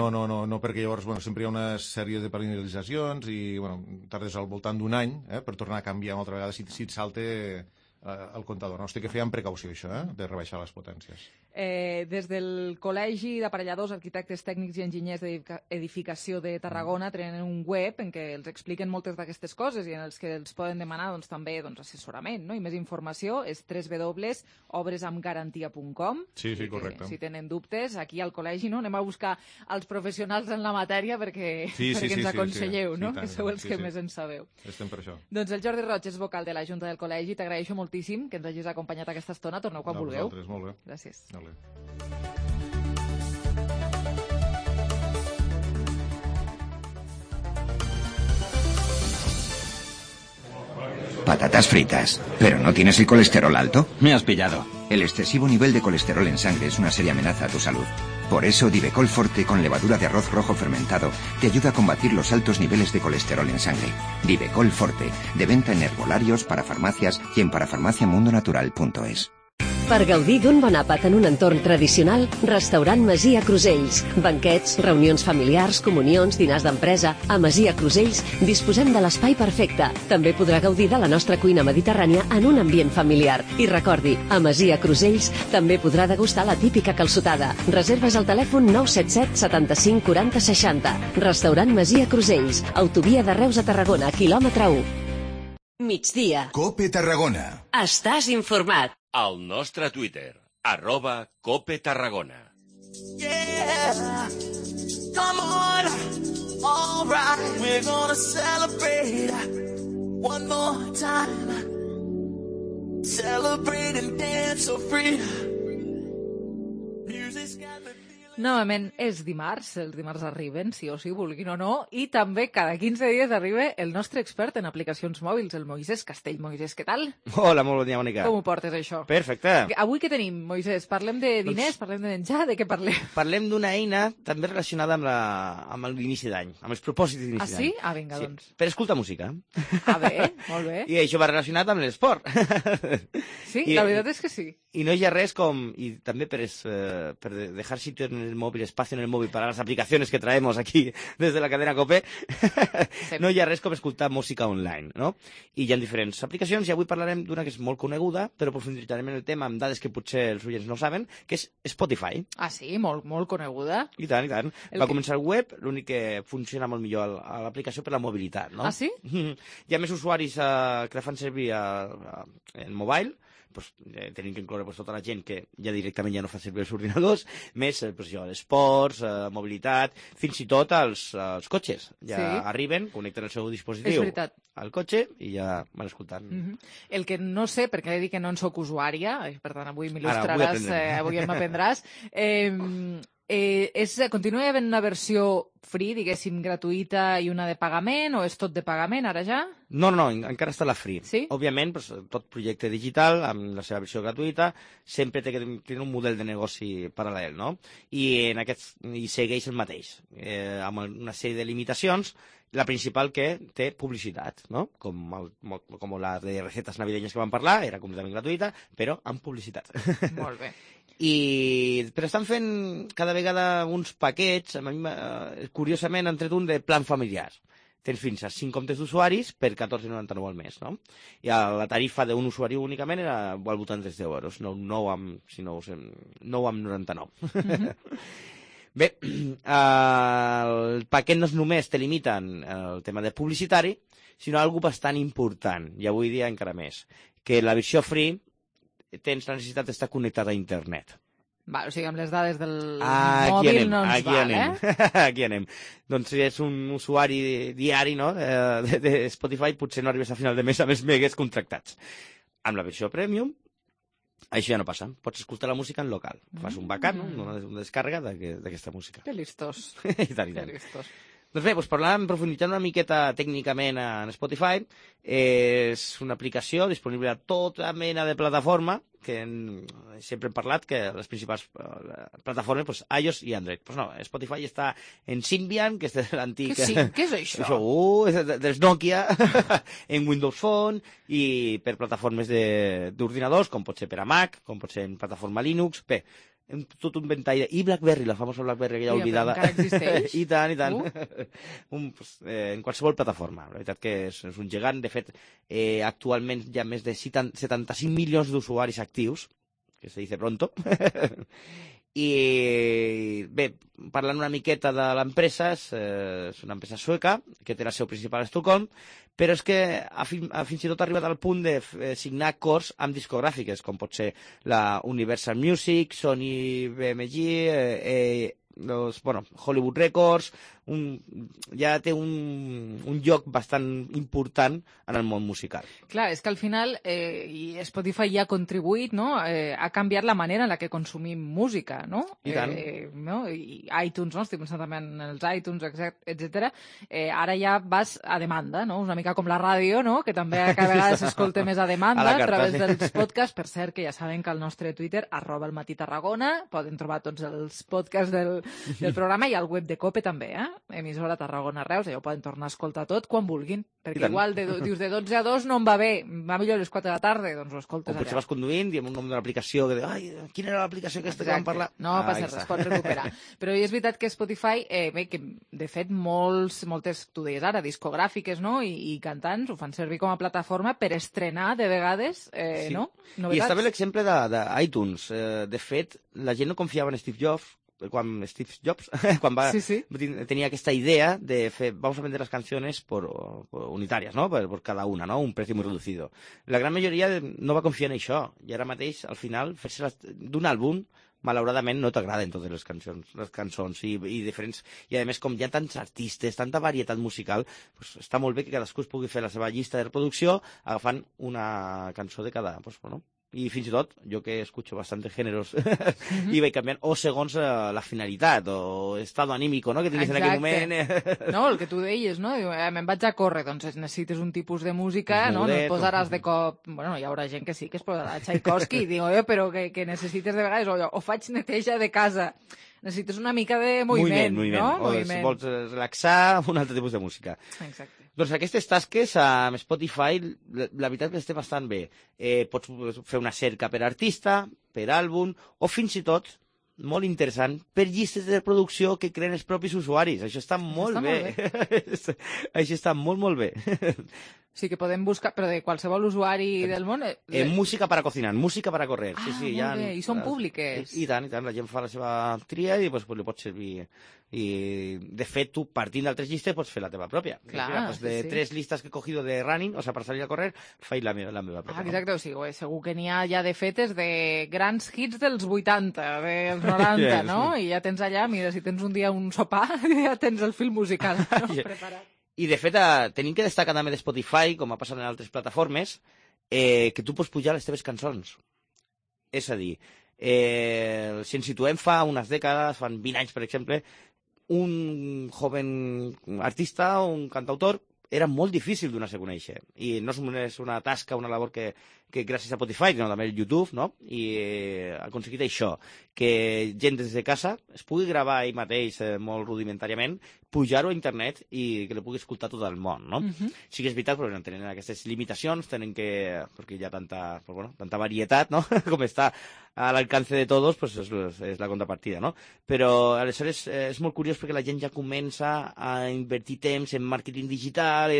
perquè llavors sempre hi ha una sèrie de penalitzacions i tardes al voltant d'un any per tornar a canviar una altra vegada si et salta el comptador. No, es té que fer amb precaució, això, de rebaixar les potències. Des del Col·legi d'Aparelladors, Arquitectes Tècnics i Enginyers d'Edificació de Tarragona tenen un web en què els expliquen moltes d'aquestes coses i en els que els poden demanar també assessorament, no? I més informació és www.obresamgarantia.com. Sí, correcte. Si tenen dubtes, aquí al col·legi anem a buscar els professionals en la matèria perquè ens aconselleu, no? Que sou els que més en sabeu. Estem per això. Doncs el Jordi Roig és vocal de la Junta del Col·legi. T'agraeixo moltíssim que ens hagis acompanyat aquesta estona. Torneu quan vulgueu. Vosaltres, molt bé. Gràcies. Patatas fritas. ¿Pero no tienes el colesterol alto? Me has pillado. El excesivo nivel de colesterol en sangre es una seria amenaza a tu salud. Por eso Divecol Forte con levadura de arroz rojo fermentado te ayuda a combatir los altos niveles de colesterol en sangre. Divecol Forte, de venta en herbolarios, parafarmacias y en parafarmaciamundonatural.es. Per gaudir d'un bon àpat en un entorn tradicional, restaurant Masia Crusells. Banquets, reunions familiars, comunions, dinars d'empresa. A Masia Crusells disposem de l'espai perfecte. També podrà gaudir de la nostra cuina mediterrània en un ambient familiar. I recordi, a Masia Crusells també podrà degustar la típica calçotada. Reserves al telèfon 977 75 40 60. Restaurant Masia Crusells. Autovia de Reus a Tarragona, quilòmetre 1. Migdia. Cope Tarragona. Estàs informat. Al nostre Twitter, @CopeTarragona. Yeah, come on, all right, we're gonna celebrate one more time. Celebrate and dance so free. Music's got the... Novament és dimarts, els dimarts arriben, sí o sí, vulguin o no, i també cada 15 dies arriba el nostre expert en aplicacions mòbils, el Moisés Castell. Moisés, què tal? Hola, molt bon dia, Mònica. Com ho portes, això? Perfecte. Avui què tenim, Moisés? Parlem de diners, parlem de menjar, de què parlem? Parlem d'una eina també relacionada amb l'inici d'any, amb els propòsits d'inici d'any. Ah, sí? Ah, vinga, sí. doncs. Per escoltar música. Ah, bé, molt bé. I això va relacionat amb l'esport. Sí, la veritat és que sí. Y no hi ha res com, y también per dejar sitio en el móvil, espacio en el móvil para las aplicaciones que traemos aquí desde la cadena COPE, sí. No hi ha res com escoltar música online, no? I hi ha diferents aplicacions, i avui parlarem d'una que és molt coneguda, però profunditzarem en el tema amb dades que potser els oients no saben, que és Spotify. Ah, sí? Molt coneguda. I tant, i tant. Va començar el web, l'únic que funciona molt millor a l'aplicació per la mobilitat, no? Ah, sí? Hi ha més usuaris que la fan servir en mobile, pues, tenim que incloure tota la gent que ja directament ja no fa servir els ordinadors, més esports, mobilitat, fins i tot els cotxes. Ja arriben, connecten el seu dispositiu al cotxe i ja van escoltant. El que no sé, perquè he dit que no en soc usuària, per tant avui m'il·lustraràs, avui m'aprendràs, continua havent una versió free, diguéssim, gratuïta i una de pagament, o és tot de pagament ara ja? No, encara està la free. Sí? Òbviament, tot projecte digital, amb la seva versió gratuïta, sempre té que tenir un model de negoci paral·lel, no? I segueix el mateix, amb una sèrie de limitacions, la principal que té publicitat, no? Com la de recetes navideñas que vam parlar, era completament gratuïta, però amb publicitat. Molt bé. Però estan fent cada vegada uns paquets, curiosament han tret un de plan familiar. Tens fins a 5 comptes d'usuaris per 14,99 al mes, no? I la tarifa d'un usuari únicament era al voltant de 10 euros, no 9,99. Bé, el paquet no només te limiten el tema de publicitari, sinó algo bastant important, i avui dia encara més, que la versió free tens la necessitat d'estar connectat a internet. O sigui, amb les dades del mòbil no ens val, Aquí anem. Doncs si ets un usuari diari de Spotify, potser no arribes a final de mes amb els megues contractats. Amb la versió premium, això ja no passa. Pots escoltar la música en local. Fas un backup, una descàrrega d'aquesta música. Que listos. I tant. Doncs bé, profunditzant una miqueta tècnicament en Spotify, és una aplicació disponible a tota mena de plataforma, que sempre hem parlat que les principals plataformes, iOS i Android. Pues no, Spotify està en Symbian, que és de l'antic... Què és això? És dels Nokia, en Windows Phone, i per plataformes d'ordinadors, com pot ser per a Mac, com pot ser en plataforma Linux. Bé, tot un ventall. I BlackBerry, la famosa BlackBerry que ja oblidada. Encara existeix? I tant. En qualsevol plataforma. La veritat que és un gegant. De fet, actualment hi ha més de 75 milions d'usuaris actius, que se dice pronto. I bé, parlant una miqueta de l'empresa, és una empresa sueca que té la seu principal a Estocolm, però és que fins i tot ha arribat al punt de signar acords amb discogràfiques, com pot ser la Universal Music, Sony BMG, Hollywood Records, ja té un lloc bastant important en el món musical. Clar, és que al final i Spotify ja ha contribuït, no? Ha canviat la manera en la que consumim música, no? I tant. No? I iTunes, no? Estic pensant també en els iTunes, etc. Ara ja vas a demanda, no? Una mica com la ràdio, no? Que també cada vegada s'escolta més a demanda a través dels podcasts. Per cert, que ja saben que al nostre Twitter, @elmatí_Tarragona, poden trobar tots els podcasts del programa i al web de COPE també, emissora Tarragona Reus, allò ho poden tornar a escoltar tot quan vulguin, perquè igual dius de 12 a 2 no em va bé, va millor a les 4 de la tarda, doncs ho escoltes allà. O potser vas conduint i amb un nom d'una aplicació que ai, quina era l'aplicació aquesta que vam parlar? No passa res, es pot recuperar. Però és veritat que Spotify, que de fet moltes, tu deies ara, discogràfiques, no? I cantants ho fan servir com a plataforma per estrenar de vegades, no? Novetats. I està bé l'exemple d'iTunes. De fet, la gent no confiava en Steve Jobs, quan va tenir aquesta idea de fer, vamos a vender las canciones por unitarias, ¿no? Por cada una, ¿no? Un precio muy reducido. La gran majoria no va confiar en això, i ara mateix, al final, fer-se d'un àlbum, malauradament no t'agraden totes les cançons i diferents, i a més com hi ha tants artistes, tanta varietat musical, pues està molt bé que cadascú es pugui fer la seva llista de reproducció agafant una cançó de cada, pues, bueno, i fins i tot, jo que escucho bastante géneros i vaig canviant, o segons la finalitat, o estado anímico, no?, que tinguis en aquell moment. No, el que tu deies, no? Me'n vaig a córrer, doncs necessites un tipus de música, no? No et posaràs de cop... Bueno, hi haurà gent que sí, que es posarà Tchaikovsky, i digo, però que necessites de vegades, o faig neteja de casa. Necessites una mica de moviment, no? O si vols relaxar, un altre tipus de música. Exacte. Doncs aquestes tasques amb Spotify, la veritat que estem bastant bé. Pots fer una cerca per artista, per àlbum, o fins i tot, molt interessant, per llistes de reproducció que creen els propis usuaris. Això està molt bé. Això està molt, molt bé. Sí, que podem buscar, però de qualsevol usuari del món... Música para cocinar, música para correr. Sí, molt bé, i són públiques. I tant, la gent fa la seva tria i li pot servir. I, de fet, tu, partint d'altres llistes, pots fer la teva pròpia. Clar, de 3 listes que he cogido de running, o sea, per salir a correr, faig la meva pròpia. Exacte, o sigui, segur que n'hi ha ja de fetes de grans hits dels 80, dels 90, no? I ja tens allà, mira, si tens un dia un sopar, ja tens el fil musical preparat. I, de fet, tenim que destacar també de Spotify, com ha passat en altres plataformes, que tu pots pujar les teves cançons. És a dir, si ens situem fa unes dècades, fan 20 anys, per exemple, un joven artista, un cantautor, era molt difícil donar-se a conèixer. I no és una tasca, una labor que gràcies a Spotify, sinó també el YouTube, no? I ha aconseguit això, que gent des de casa es pugui gravar ell mateix molt rudimentàriament, pujar-ho a internet i que li pugui escoltar tot el món, no? Sí que és veritat, però tenen aquestes limitacions, perquè hi ha tanta varietat, no? Com està a l'alcance de tots, pues és la contrapartida, no? Però aleshores és molt curiós perquè la gent ja comença a invertir temps en màrqueting digital,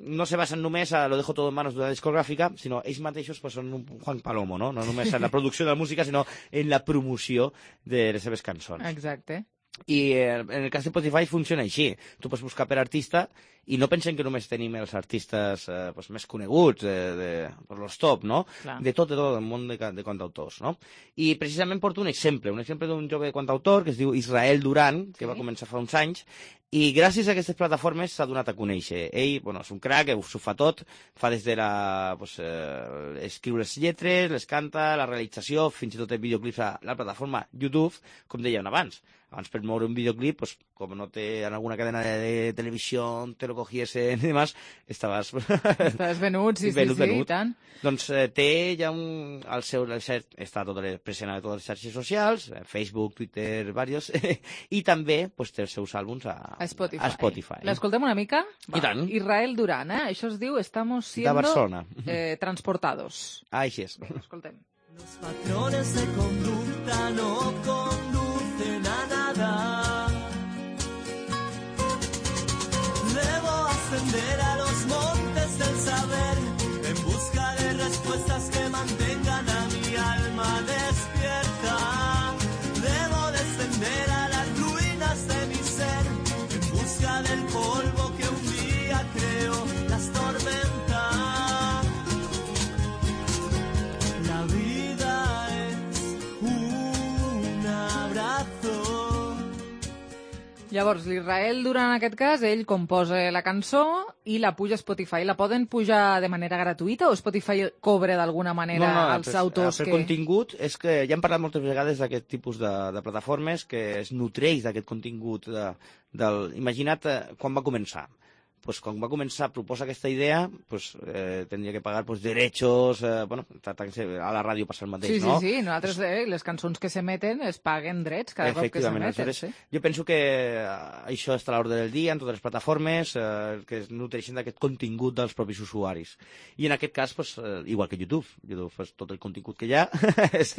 no se basen només a lo dejo todo en manos de una discogràfica, sinó ells mateixos pues, són un Juan Palomo, no? No només en la producció de la música, sinó en la promoció de les seves cançons. Exacte. I en el cas de Spotify funciona així. Tu pots buscar per artista i no pensen que només tenim els artistes més coneguts, per los top, no? Clar. De tot el món de cantautors, no? I precisament porto un exemple d'un jove cantautor que es diu Israel Duran, que va començar fa uns anys, i gràcies a aquestes plataformes s'ha donat a conèixer. Ell, és un crac, s'ho fa tot, fa des de escriure les lletres, les canta, la realització, fins i tot el videoclips a la plataforma YouTube, com dèiem abans. Abans per moure un videoclip, com no té en alguna cadena de televisió te lo cogiesen i demás, estaves venut, sí, i tant. Doncs té ja està tot present a totes les xarxes socials, Facebook, Twitter, diversos, i també té els seus àlbums a Spotify. L'escoltem una mica? I tant. Israel Duran, això es diu Estamos siendo transportados. Així és. Escoltem. Los patrones de conducta no conducen a nada. Debo ascender a los montes del saber en busca de respuestas que mantengan a mi alma despierta. Debo descender a las ruinas de mi ser en busca del polvo que un día creó las tormentas. La vida es un abrazo. Llavors, l'Israel Duran, en aquest cas, ell composa la cançó i la puja a Spotify. La poden pujar de manera gratuïta o Spotify cobra d'alguna manera als autors que... El contingut és que ja hem parlat moltes vegades d'aquest tipus de plataformes que es nutreix d'aquest contingut. Imagina't quan va començar. Pues quan va començar a proposar aquesta idea, pues, tindria que pagar pues, derechos, bueno, a la ràdio passa el mateix, no? Sí, nosaltres les cançons que s'emeten es paguen drets cada cop que s'emeten. Sí. Jo penso que això està a l'ordre del dia en totes les plataformes que es nutreixen d'aquest contingut dels propis usuaris. I en aquest cas, pues, igual que YouTube, pues, tot el contingut que hi ha és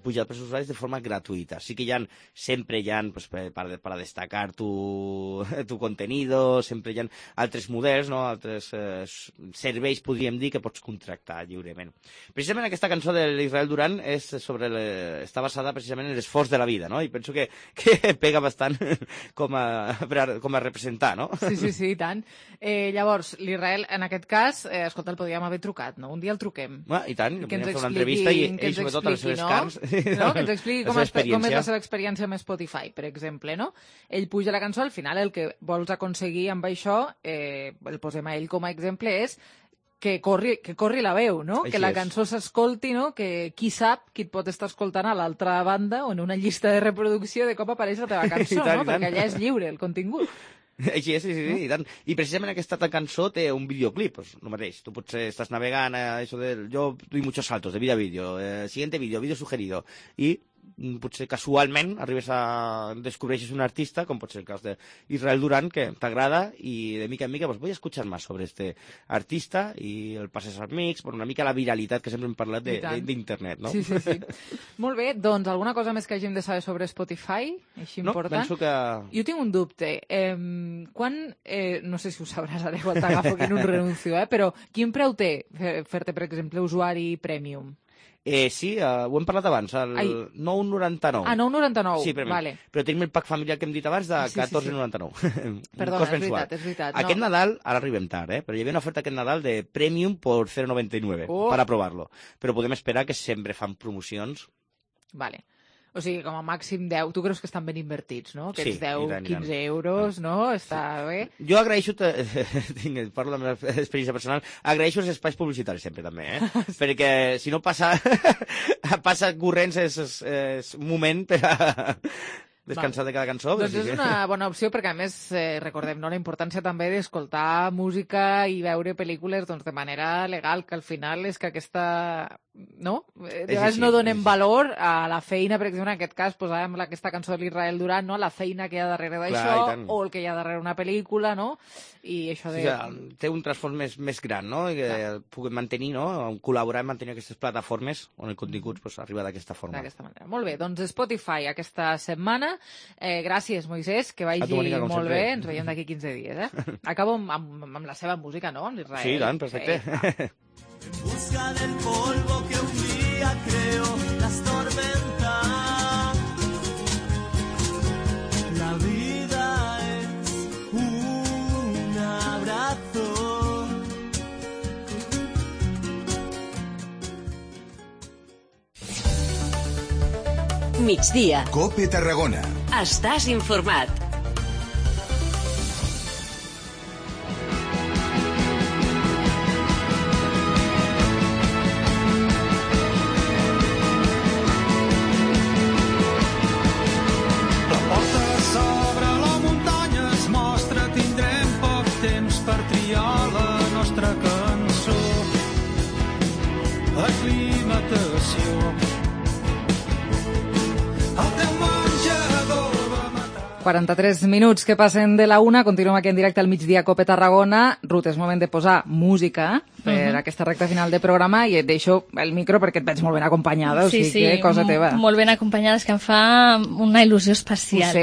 pujat pels usuaris de forma gratuïta. Sí que sempre hi ha pues, para destacar tu contenido, sempre hi ha altres models, no? Altres serveis, podríem dir, que pots contractar lliurement. Precisament aquesta cançó de l'Israel Duran està basada precisament en l'esforç de la vida, no? I penso que pega bastant com a representar, no? Sí, i tant. Llavors, l'Israel, en aquest cas, escolta, el podríem haver trucat, no? Un dia el truquem. I tant, podríem fer una entrevista i ell, sobretot, a les seves carns. No? Que ens expliqui com és la seva experiència amb Spotify, per exemple, no? Ell puja la cançó, al final el que vols aconseguir amb això, el posem a ell com a exemple, és que corri la veu, no? Que la cançó s'escolti, no? Que qui sap qui et pot estar escoltant a l'altra banda o en una llista de reproducció de cop apareix la teva cançó, no? Perquè allà és lliure el contingut. Així és, sí, i tant. I precisament aquesta cançó té un videoclip, pues, el mateix. Tu potser estàs navegant, yo doy muchos saltos de vídeo a vídeo, siguiente vídeo sugerido, i potser casualment descobreixes un artista, com pot ser el cas d'Israel Duran, que t'agrada i de mica en mica voy a escuchar más sobre este artista i el passes als amics, una mica la viralitat que sempre hem parlat d'internet, no? Sí. Molt bé, doncs alguna cosa més que hàgim de saber sobre Spotify? Així important? No, penso que... Jo tinc un dubte. No sé si ho sabràs ara, igual t'agafo aquí en un renuncio, però quin preu té fer-te, per exemple, usuari premium? Sí, ho hem parlat abans, el 9,99. Ah, 9,99, sí, vale. Però tenim el pack familiar que hem dit abans de 14,99. Perdona, és veritat. Aquest Nadal, ara arribem tard, però hi havia una oferta aquest Nadal de Premium por 0,99 per aprovar-lo. Però podem esperar que sempre fan promocions. Vale. O sigui, com a màxim 10. Tu creus que estan ben invertits, no? Aquests 10, 15 euros, no? Està bé. Jo agraeixo, parlo de la meva experiència personal, agraeixo els espais publicitaris sempre, també, perquè si no passa corrents és un moment per a descansar de cada cançó. Doncs és una bona opció perquè, a més, recordem la importància també d'escoltar música i veure pel·lícules de manera legal, que al final és que aquesta... No? De vegades no donem valor a la feina, per exemple, en aquest cas posàvem aquesta cançó de l'Israel Duran, no? La feina que hi ha darrere d'això, o el que hi ha darrere una pel·lícula, no? I això de... Té un transfons més gran, no? I que puguem mantenir, no? Col·laborar en mantenir aquestes plataformes on el contingut arriba d'aquesta forma. D'aquesta manera. Molt bé, doncs Spotify aquesta setmana. Gràcies, Moisès, que vagi molt bé. Ens veiem d'aquí 15 dies, Acabo amb la seva música, no? Amb l'Israel. Sí, tant, perfecte. En busca del polvo que un día creó las tormentas. La vida es un abrazo. Migdia. COPE Tarragona. Estàs informat. Aclimatació. El teu menjador va matar. 43 minuts que passen de la 1, continuem aquí en directe al migdia COPE Tarragona. Ruth, és moment de posar música per aquesta recta final de programa i et deixo el micro perquè et veig molt ben acompanyada, o sigui que cosa teva. Molt ben acompanyada, és que em fa una il·lusió especial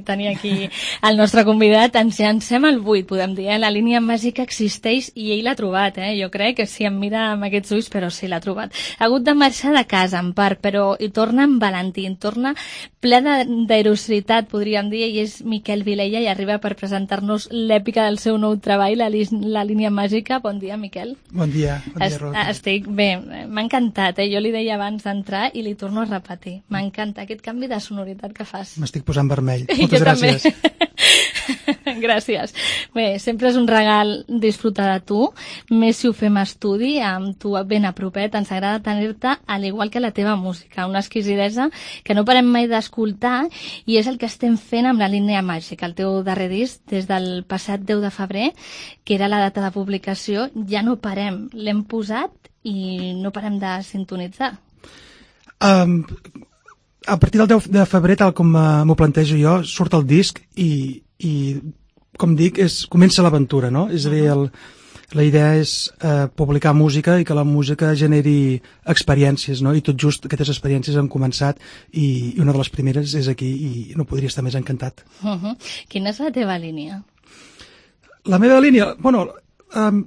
tenir aquí el nostre convidat. Ens llancem al buit, podem dir, la línia màgica existeix i ell l'ha trobat, jo crec que si em mira amb aquests ulls, però sí, l'ha trobat. Ha hagut de marxar de casa, en part, però hi torna en Valentí, torna ple d'aerositat, podríem dir, i és Miquel Vilella i arriba per presentar-nos l'èpica del seu nou treball, la línia màgica. Bon dia, Miquel. Manel? Bon dia, Rosa. Estic bé, m'ha encantat, jo li deia abans d'entrar i li torno a repetir. M'encanta aquest canvi de sonoritat que fas. M'estic posant vermell. Moltes gràcies. Gràcies. Bé, sempre és un regal disfrutar de tu, més si ho fem estudi, amb tu ben a propet, ens agrada tenir-te, al igual que la teva música, una exquisidesa que no parem mai d'escoltar, i és el que estem fent amb la línia màgica, el teu darrer disc, des del passat 10 de febrer, que era la data de publicació, ja no parem, l'hem posat i no parem de sintonitzar. A partir del 10 de febrer, tal com m'ho plantejo jo, surt el disc i com dic, comença l'aventura, no? És a dir, la idea és publicar música i que la música generi experiències, no? I tot just aquestes experiències han començat i una de les primeres és aquí i no podria estar més encantat. Quina és la teva línia? La meva línia? Bueno,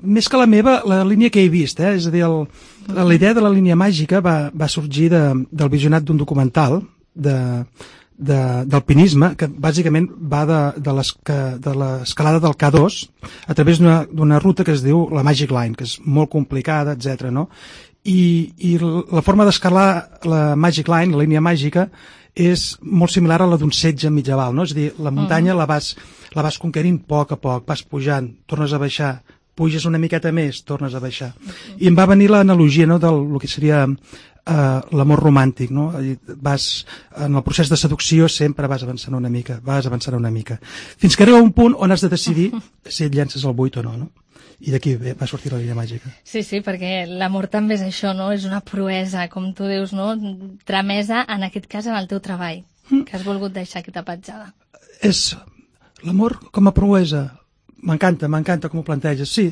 més que la meva, la línia que he vist, és a dir, la idea de la línia màgica va sorgir del visionat d'un documental d'alpinisme que bàsicament va de l'escalada del K2 a través d'una ruta que es diu la Magic Line, que és molt complicada, etc. No? I la forma d'escalar la Magic Line, la línia màgica, és molt similar a la d'un setge medieval, no? És a dir, la muntanya la vas conquerint a poc, vas pujant, tornes a baixar, puges una miqueta més, tornes a baixar. I em va venir l'analogia, no?, del que seria l'amor romàntic, no? En el procés de seducció sempre vas avançant una mica, fins que arriba un punt on has de decidir si et llences al buit o no, no? I d'aquí va sortir la línia màgica. Sí, perquè l'amor també és això, no? És una proesa, com tu dius, no? Tramesa, en aquest cas, en el teu treball, que has volgut deixar aquesta petjada. És l'amor com a proesa. M'encanta com ho planteges. Sí,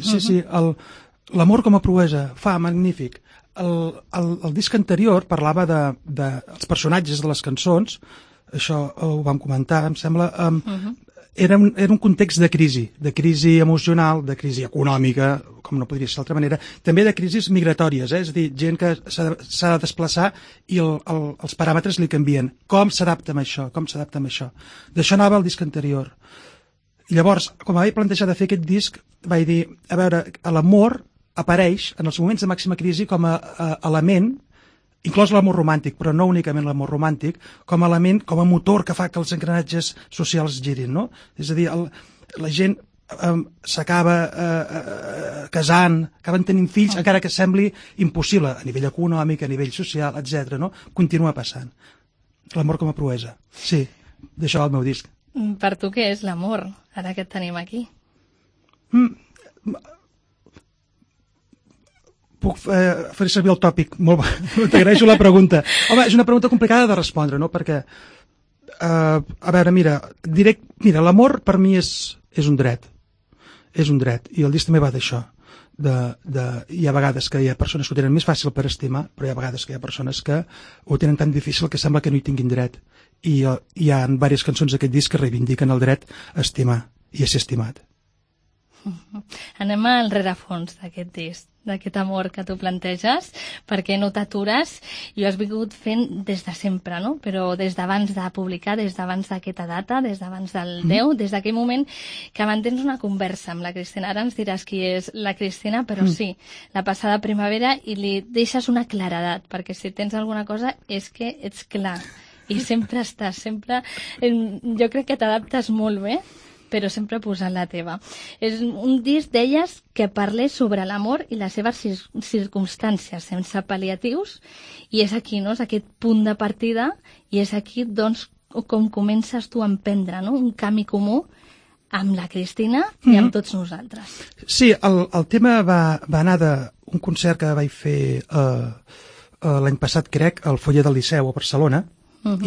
l'amor com a proesa, magnífic. El disc anterior parlava dels personatges de les cançons, això ho vam comentar, em sembla, era un context de crisi emocional, de crisi econòmica, com no podria ser d'altra manera, també de crisis migratòries, és a dir, gent que s'ha de desplaçar i els paràmetres li canvien. Com s'adapta amb això? D'això anava el disc anterior. I llavors, com vaig plantejar de fer aquest disc, vaig dir, a veure, l'amor apareix en els moments de màxima crisi com a element, inclòs l'amor romàntic, però no únicament l'amor romàntic, com a element, com a motor que fa que els engranatges socials girin, no? És a dir, la gent s'acaba casant, acaben tenint fills, encara que sembli impossible, a nivell econòmic, a nivell social, etc. No? Continua passant. L'amor com a proesa. Sí, d'això va el meu disc. Per tu què és l'amor, ara que et tenim aquí? Puc fer servir el tòpic? T'agraeixo la pregunta. Home, és una pregunta complicada de respondre, no? Perquè, a veure, mira, l'amor per mi és un dret. És un dret. I el disc també va d'això. Hi ha vegades que hi ha persones que ho tenen més fàcil per estimar, però hi ha vegades que hi ha persones que ho tenen tan difícil que sembla que no hi tinguin dret. I hi ha diverses cançons d'aquest disc que reivindiquen el dret a estimar i a ser estimat. Anem al rerefons d'aquest disc, d'aquest amor que tu planteges, perquè no t'atures i ho has vingut fent des de sempre, no? Però des d'abans de publicar, des d'abans d'aquesta data, des d'abans del 10, des d'aquell moment que mantens una conversa amb la Cristina. Ara ens diràs qui és la Cristina, però sí, la passada primavera, i li deixes una claredat, perquè si tens alguna cosa és que ets clar i sempre estàs, jo crec que t'adaptes molt bé, però sempre posant la teva. És un disc, deies, que parles sobre l'amor i les seves circumstàncies, sense pal·liatius, i és aquí, no?, és aquest punt de partida, i és aquí, doncs, com comences tu a emprendre, no?, un camí comú amb la Cristina i amb tots nosaltres. Sí, el tema va anar d'un concert que vaig fer l'any passat, crec, al Foyer del Liceu a Barcelona,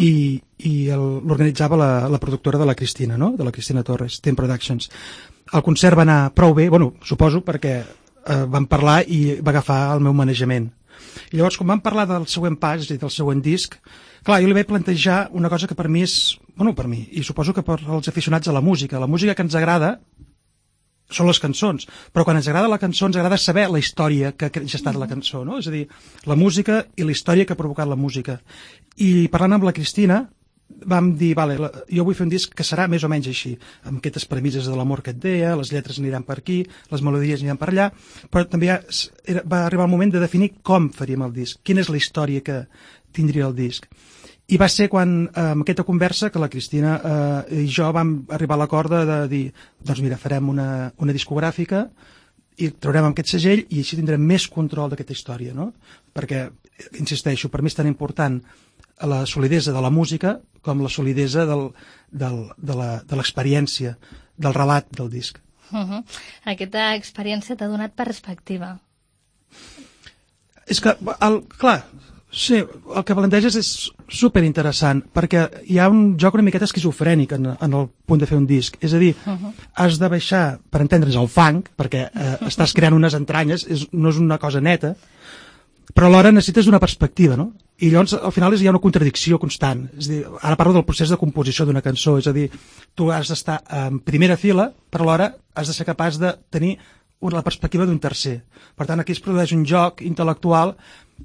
i l'organitzava la productora de la Cristina, no?, de la Cristina Torres, Ten Productions. El concert va anar prou bé, bueno, suposo, perquè vam parlar i va agafar el meu manejament. I llavors, quan vam parlar del següent pas, és a dir, del següent disc, clar, jo li vaig plantejar una cosa que per mi és, bueno, per mi, i suposo que per als aficionats a la música que ens agrada són les cançons, però quan ens agrada la cançó ens agrada saber la història que ha gestat la cançó, no? És a dir, la música i la història que ha provocat la música. I parlant amb la Cristina vam dir, vale, jo vull fer un disc que serà més o menys així, amb aquestes premisses de l'amor que et deia, les lletres aniran per aquí, les melodies aniran per allà, però també va arribar el moment de definir com faríem el disc, quina és la història que tindria el disc. I va ser quan, amb aquesta conversa, que la Cristina i jo vam arribar a l'acord de dir, doncs mira, farem una discogràfica i traurem aquest segell i així tindrem més control d'aquesta història, no? Perquè, insisteixo, per mi és tan important la solidesa de la música com la solidesa de l'experiència, del relat del disc. Aquesta experiència t'ha donat perspectiva. És que, clar, sí, el que planteges és superinteressant, perquè hi ha un joc una miqueta esquizofrènic en el punt de fer un disc. És a dir, has de baixar, per entendre's, el fang, perquè estàs creant unes entranyes, no és una cosa neta, però alhora necessites una perspectiva, no? I llavors, al final, hi ha una contradicció constant. És a dir, ara parlo del procés de composició d'una cançó, és a dir, tu has d'estar en primera fila, però alhora has de ser capaç de tenir la perspectiva d'un tercer. Per tant, aquí es produeix un joc intel·lectual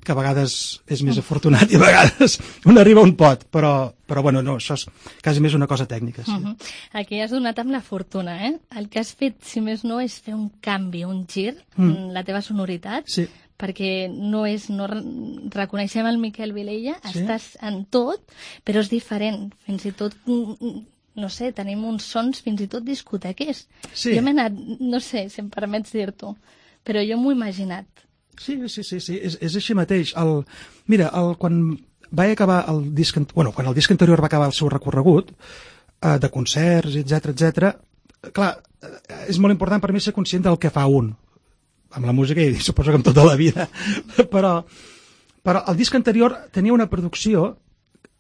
que a vegades és més afortunat i a vegades un arriba a un pot, però bueno, no, això és quasi més una cosa tècnica. Sí. Aquí has donat amb la fortuna, eh? El que has fet, si més no, és fer un canvi, un gir en la teva sonoritat, sí. Perquè no reconeixem el Miquel Vilella, sí. Estàs en tot, però és diferent, fins i tot... No sé, tenim uns sons fins i tot discotequers. Sí. Jo m'he anat, no sé si em permets dir-t'ho, però jo m'ho he imaginat. Sí, és així mateix. Mira, quan vaig acabar el disc... Bueno, quan el disc anterior va acabar el seu recorregut, de concerts, etc, clar, és molt important per mi ser conscient del que fa un, amb la música i suposo que amb tota la vida, però el disc anterior tenia una producció...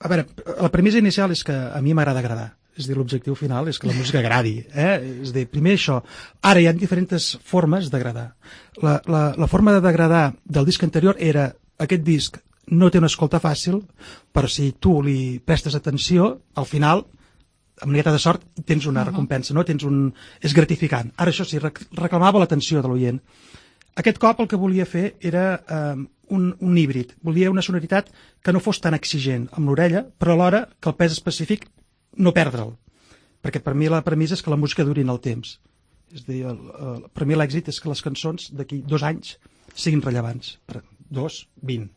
A veure, la premissa inicial és que a mi m'agrada agradar. És a dir, l'objectiu final és que la música agradi. És a dir, primer això. Ara hi ha diferents formes d'agradar. La forma d'agradar del disc anterior era aquest disc no té una escolta fàcil, però si tu li prestes atenció, al final, amb una miqueta de sort, tens una recompensa, no? És gratificant. Ara això sí, reclamava l'atenció de l'oient. Aquest cop el que volia fer era un híbrid. Volia una sonoritat que no fos tan exigent amb l'orella, però alhora que el pes específic no perdre'l. Perquè per mi la premissa és que la música duri en el temps. És a dir, per mi l'èxit és que les cançons d'aquí 2 anys siguin rellevants. 2, 20.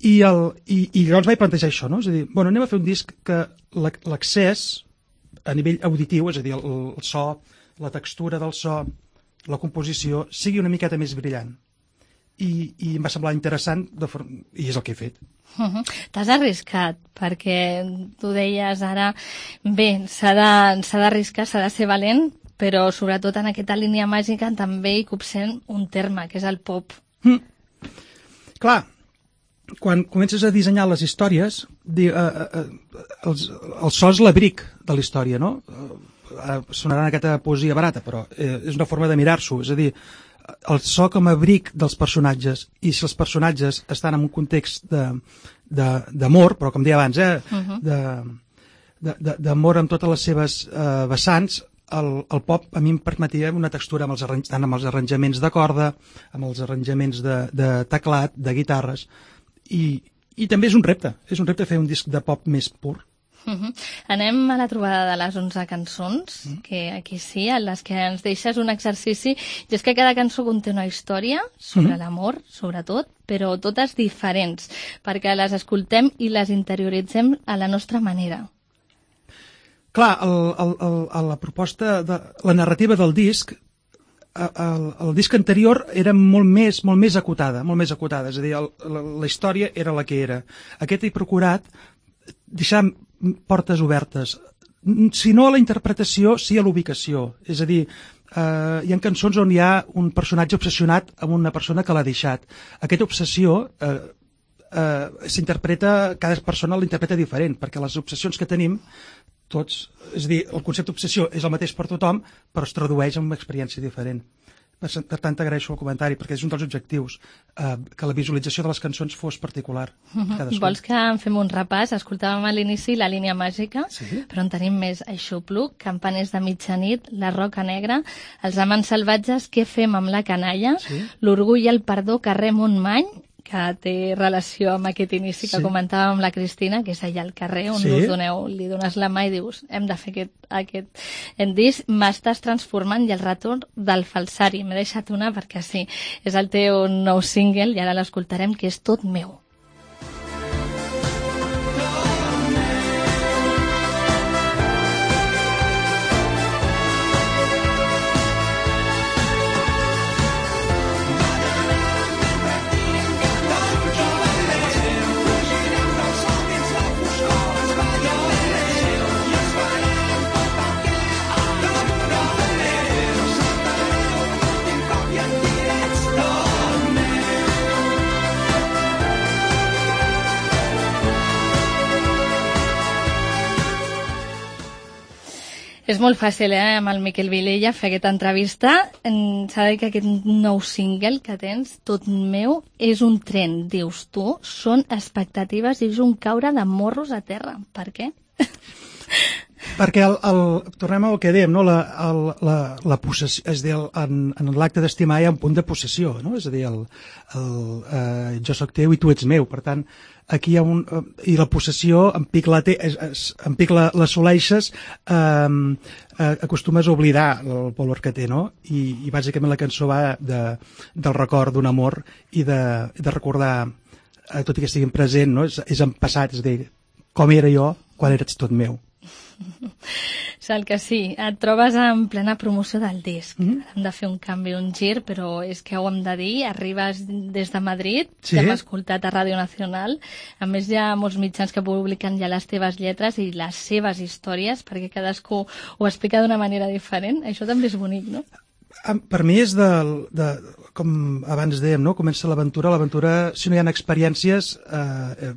I llavors vaig plantejar això, no? És a dir, bueno, anem a fer un disc que l'accés a nivell auditiu, és a dir, el so, la textura del so, la composició, sigui una miqueta més brillant. I em va semblar interessant i és el que he fet. T'has arriscat, perquè tu deies ara, bé, s'ha d'arriscar, s'ha de ser valent, però sobretot en aquesta línia màgica també hi copsem un terme, que és el pop. Clar, quan comences a dissenyar les històries, el so és l'abric de la història, no? Sonarà aquesta poesia barata, però és una forma de mirar-s'ho, és a dir, el so com a abric dels personatges, i si els personatges estan en un context d'amor, però com deia abans, d'amor amb totes les seves vessants, el pop a mi em permetia una textura tant amb els arranjaments de corda, amb els arranjaments de teclat, de guitarres, i també és un repte fer un disc de pop més pur. Anem a la trobada de les 11 cançons, que aquí sí, en les que ens deixes un exercici, i és que cada cançó conté una història sobre l'amor, sobretot, però totes diferents, perquè les escoltem i les interioritzem a la nostra manera. Clar, la proposta, la narrativa del disc, el disc anterior era molt més acotada, és a dir, la història era la que era. Aquest he procurat deixar portes obertes, si no a la interpretació, sí a l'ubicació. És a dir, hi ha cançons on hi ha un personatge obsessionat amb una persona que l'ha deixat. Aquesta obsessió s'interpreta, cada persona l'interpreta diferent, perquè les obsessions que tenim tots, és a dir, el concepte d'obsessió és el mateix per tothom, però es tradueix en una experiència diferent. Per tant, t'agraeixo el comentari, perquè és un dels objectius, que la visualització de les cançons fos particular. Vols que en fem un repàs? Escoltàvem a l'inici La línia màgica, però en tenim més: Aixopluc, Campaners de mitjanit, La roca negra, Els amants salvatges, Què fem amb la canalla, L'orgull i el perdó, Carrer Montmany, que té relació amb aquest inici que comentàvem amb la Cristina, que és allà al carrer on li dones la mà i dius hem de fer aquest disc. M'estàs transformant i el retorn del falsari. M'he deixat una perquè sí, és el teu nou single i ara l'escoltarem, que és Tot meu. És molt fàcil, amb el Miquel Vilella fer aquesta entrevista. S'ha de dir que aquest nou single que tens, Tot meu, és un tren, dius tu, són expectatives i és un caure de morros a terra. Per què? Perquè tornem al que dèiem, no? La possessió, és a dir, en l'acte d'estimar hi ha un punt de possessió, no? És a dir, jo sóc teu i tu ets meu, per tant, aquí hi ha i la possessió, en pic l'assoleixes, acostumes a oblidar el valor que té, no? I bàsicament la cançó va del record d'un amor i de recordar, tot i que estigui present, no? És en passat, és a dir, com era jo quan eres tot meu. Sal que sí, et trobes en plena promoció del disc. Hem de fer un canvi, un gir, però és que ho hem de dir, arribes des de Madrid, que hem escoltat a Ràdio Nacional, a més hi ha molts mitjans que publiquen ja les teves lletres i les seves històries, perquè cadascú ho explica d'una manera diferent. Això també és bonic, no? Per mi és com abans dèiem, no? Comença l'aventura, si no hi ha experiències,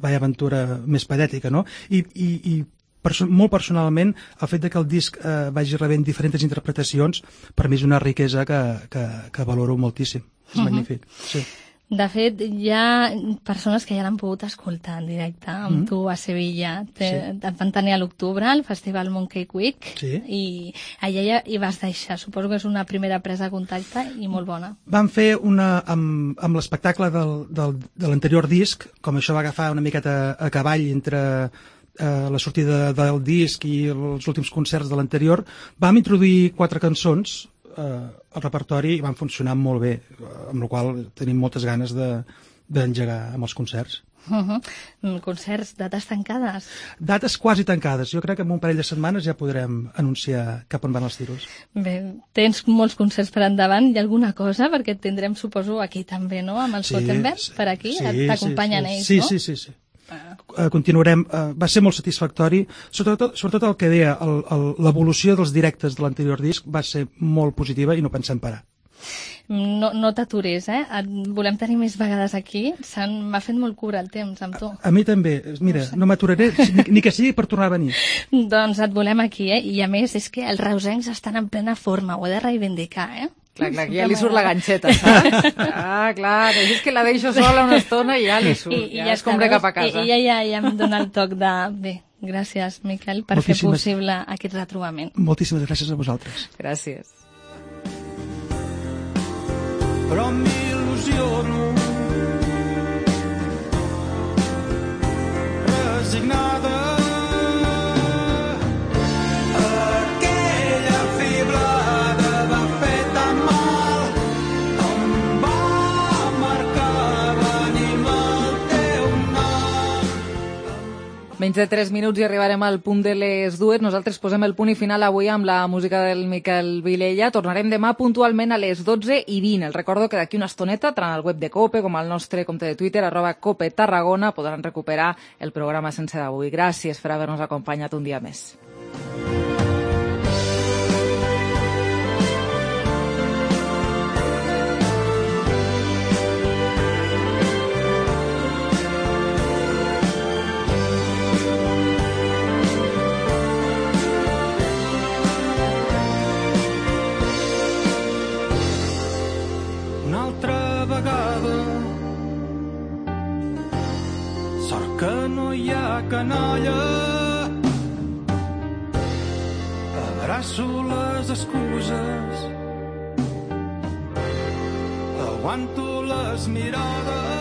aventura més patètica, no? I molt personalment, el fet que el disc vagi rebent diferents interpretacions, per mi és una riquesa que valoro moltíssim. És magnífic, sí. De fet, hi ha persones que ja l'han pogut escoltar en directe amb tu a Sevilla. Et van tenir a l'octubre al Festival Mooncake Week i allà ja hi vas deixar. Suposo que és una primera presa de contacte i molt bona. Vam fer amb l'espectacle de l'anterior disc, com això va agafar una miqueta a cavall entre la sortida del disc i els últims concerts de l'anterior, vam introduir 4 cançons al repertori i van funcionar molt bé, amb la qual tenim moltes ganes d'engegar amb els concerts. Concerts, dates tancades? Dates quasi tancades. Jo crec que en un parell de setmanes ja podrem anunciar cap on van els tiros. Bé, tens molts concerts per endavant. Hi ha alguna cosa? Perquè et tindrem, suposo, aquí també, no? Amb el Sotenberg, per aquí. T'acompanyen ells, no? Sí. Continuarem, va ser molt satisfactori, sobretot el que deia, l'evolució dels directes de l'anterior disc va ser molt positiva i no pensem parar. No t'atures, et volem tenir més vegades aquí, m'ha fet molt cura el temps amb tu. A mi també, mira, no m'aturaré ni que sigui per tornar a venir. Doncs et volem aquí, i a més és que els reusencs estan en plena forma, ho he de reivindicar, Clar, aquí ja li surt la ganxeta, saps? Clar, és que la deixo sola una estona i ja li surt, ja es compra cap a casa. I ja em dona el toc de... Bé, gràcies, Miquel, per fer possible aquest retrobament. Moltíssimes gràcies a vosaltres. Gràcies. Però m'il·lusiono resignada Menys de 3 minuts i arribarem al punt de les 2. Nosaltres posem el punt i final avui amb la música del Miquel Vilella. Tornarem demà puntualment a les 12:20. Els recordo que d'aquí una estoneta, tant al web de COPE com al nostre compte de Twitter, @COPE Tarragona, podran recuperar el programa sense d'avui. Gràcies per haver-nos acompanyat un dia més. Sort que no hi ha canalla, abraço les excuses, aguanto les mirades.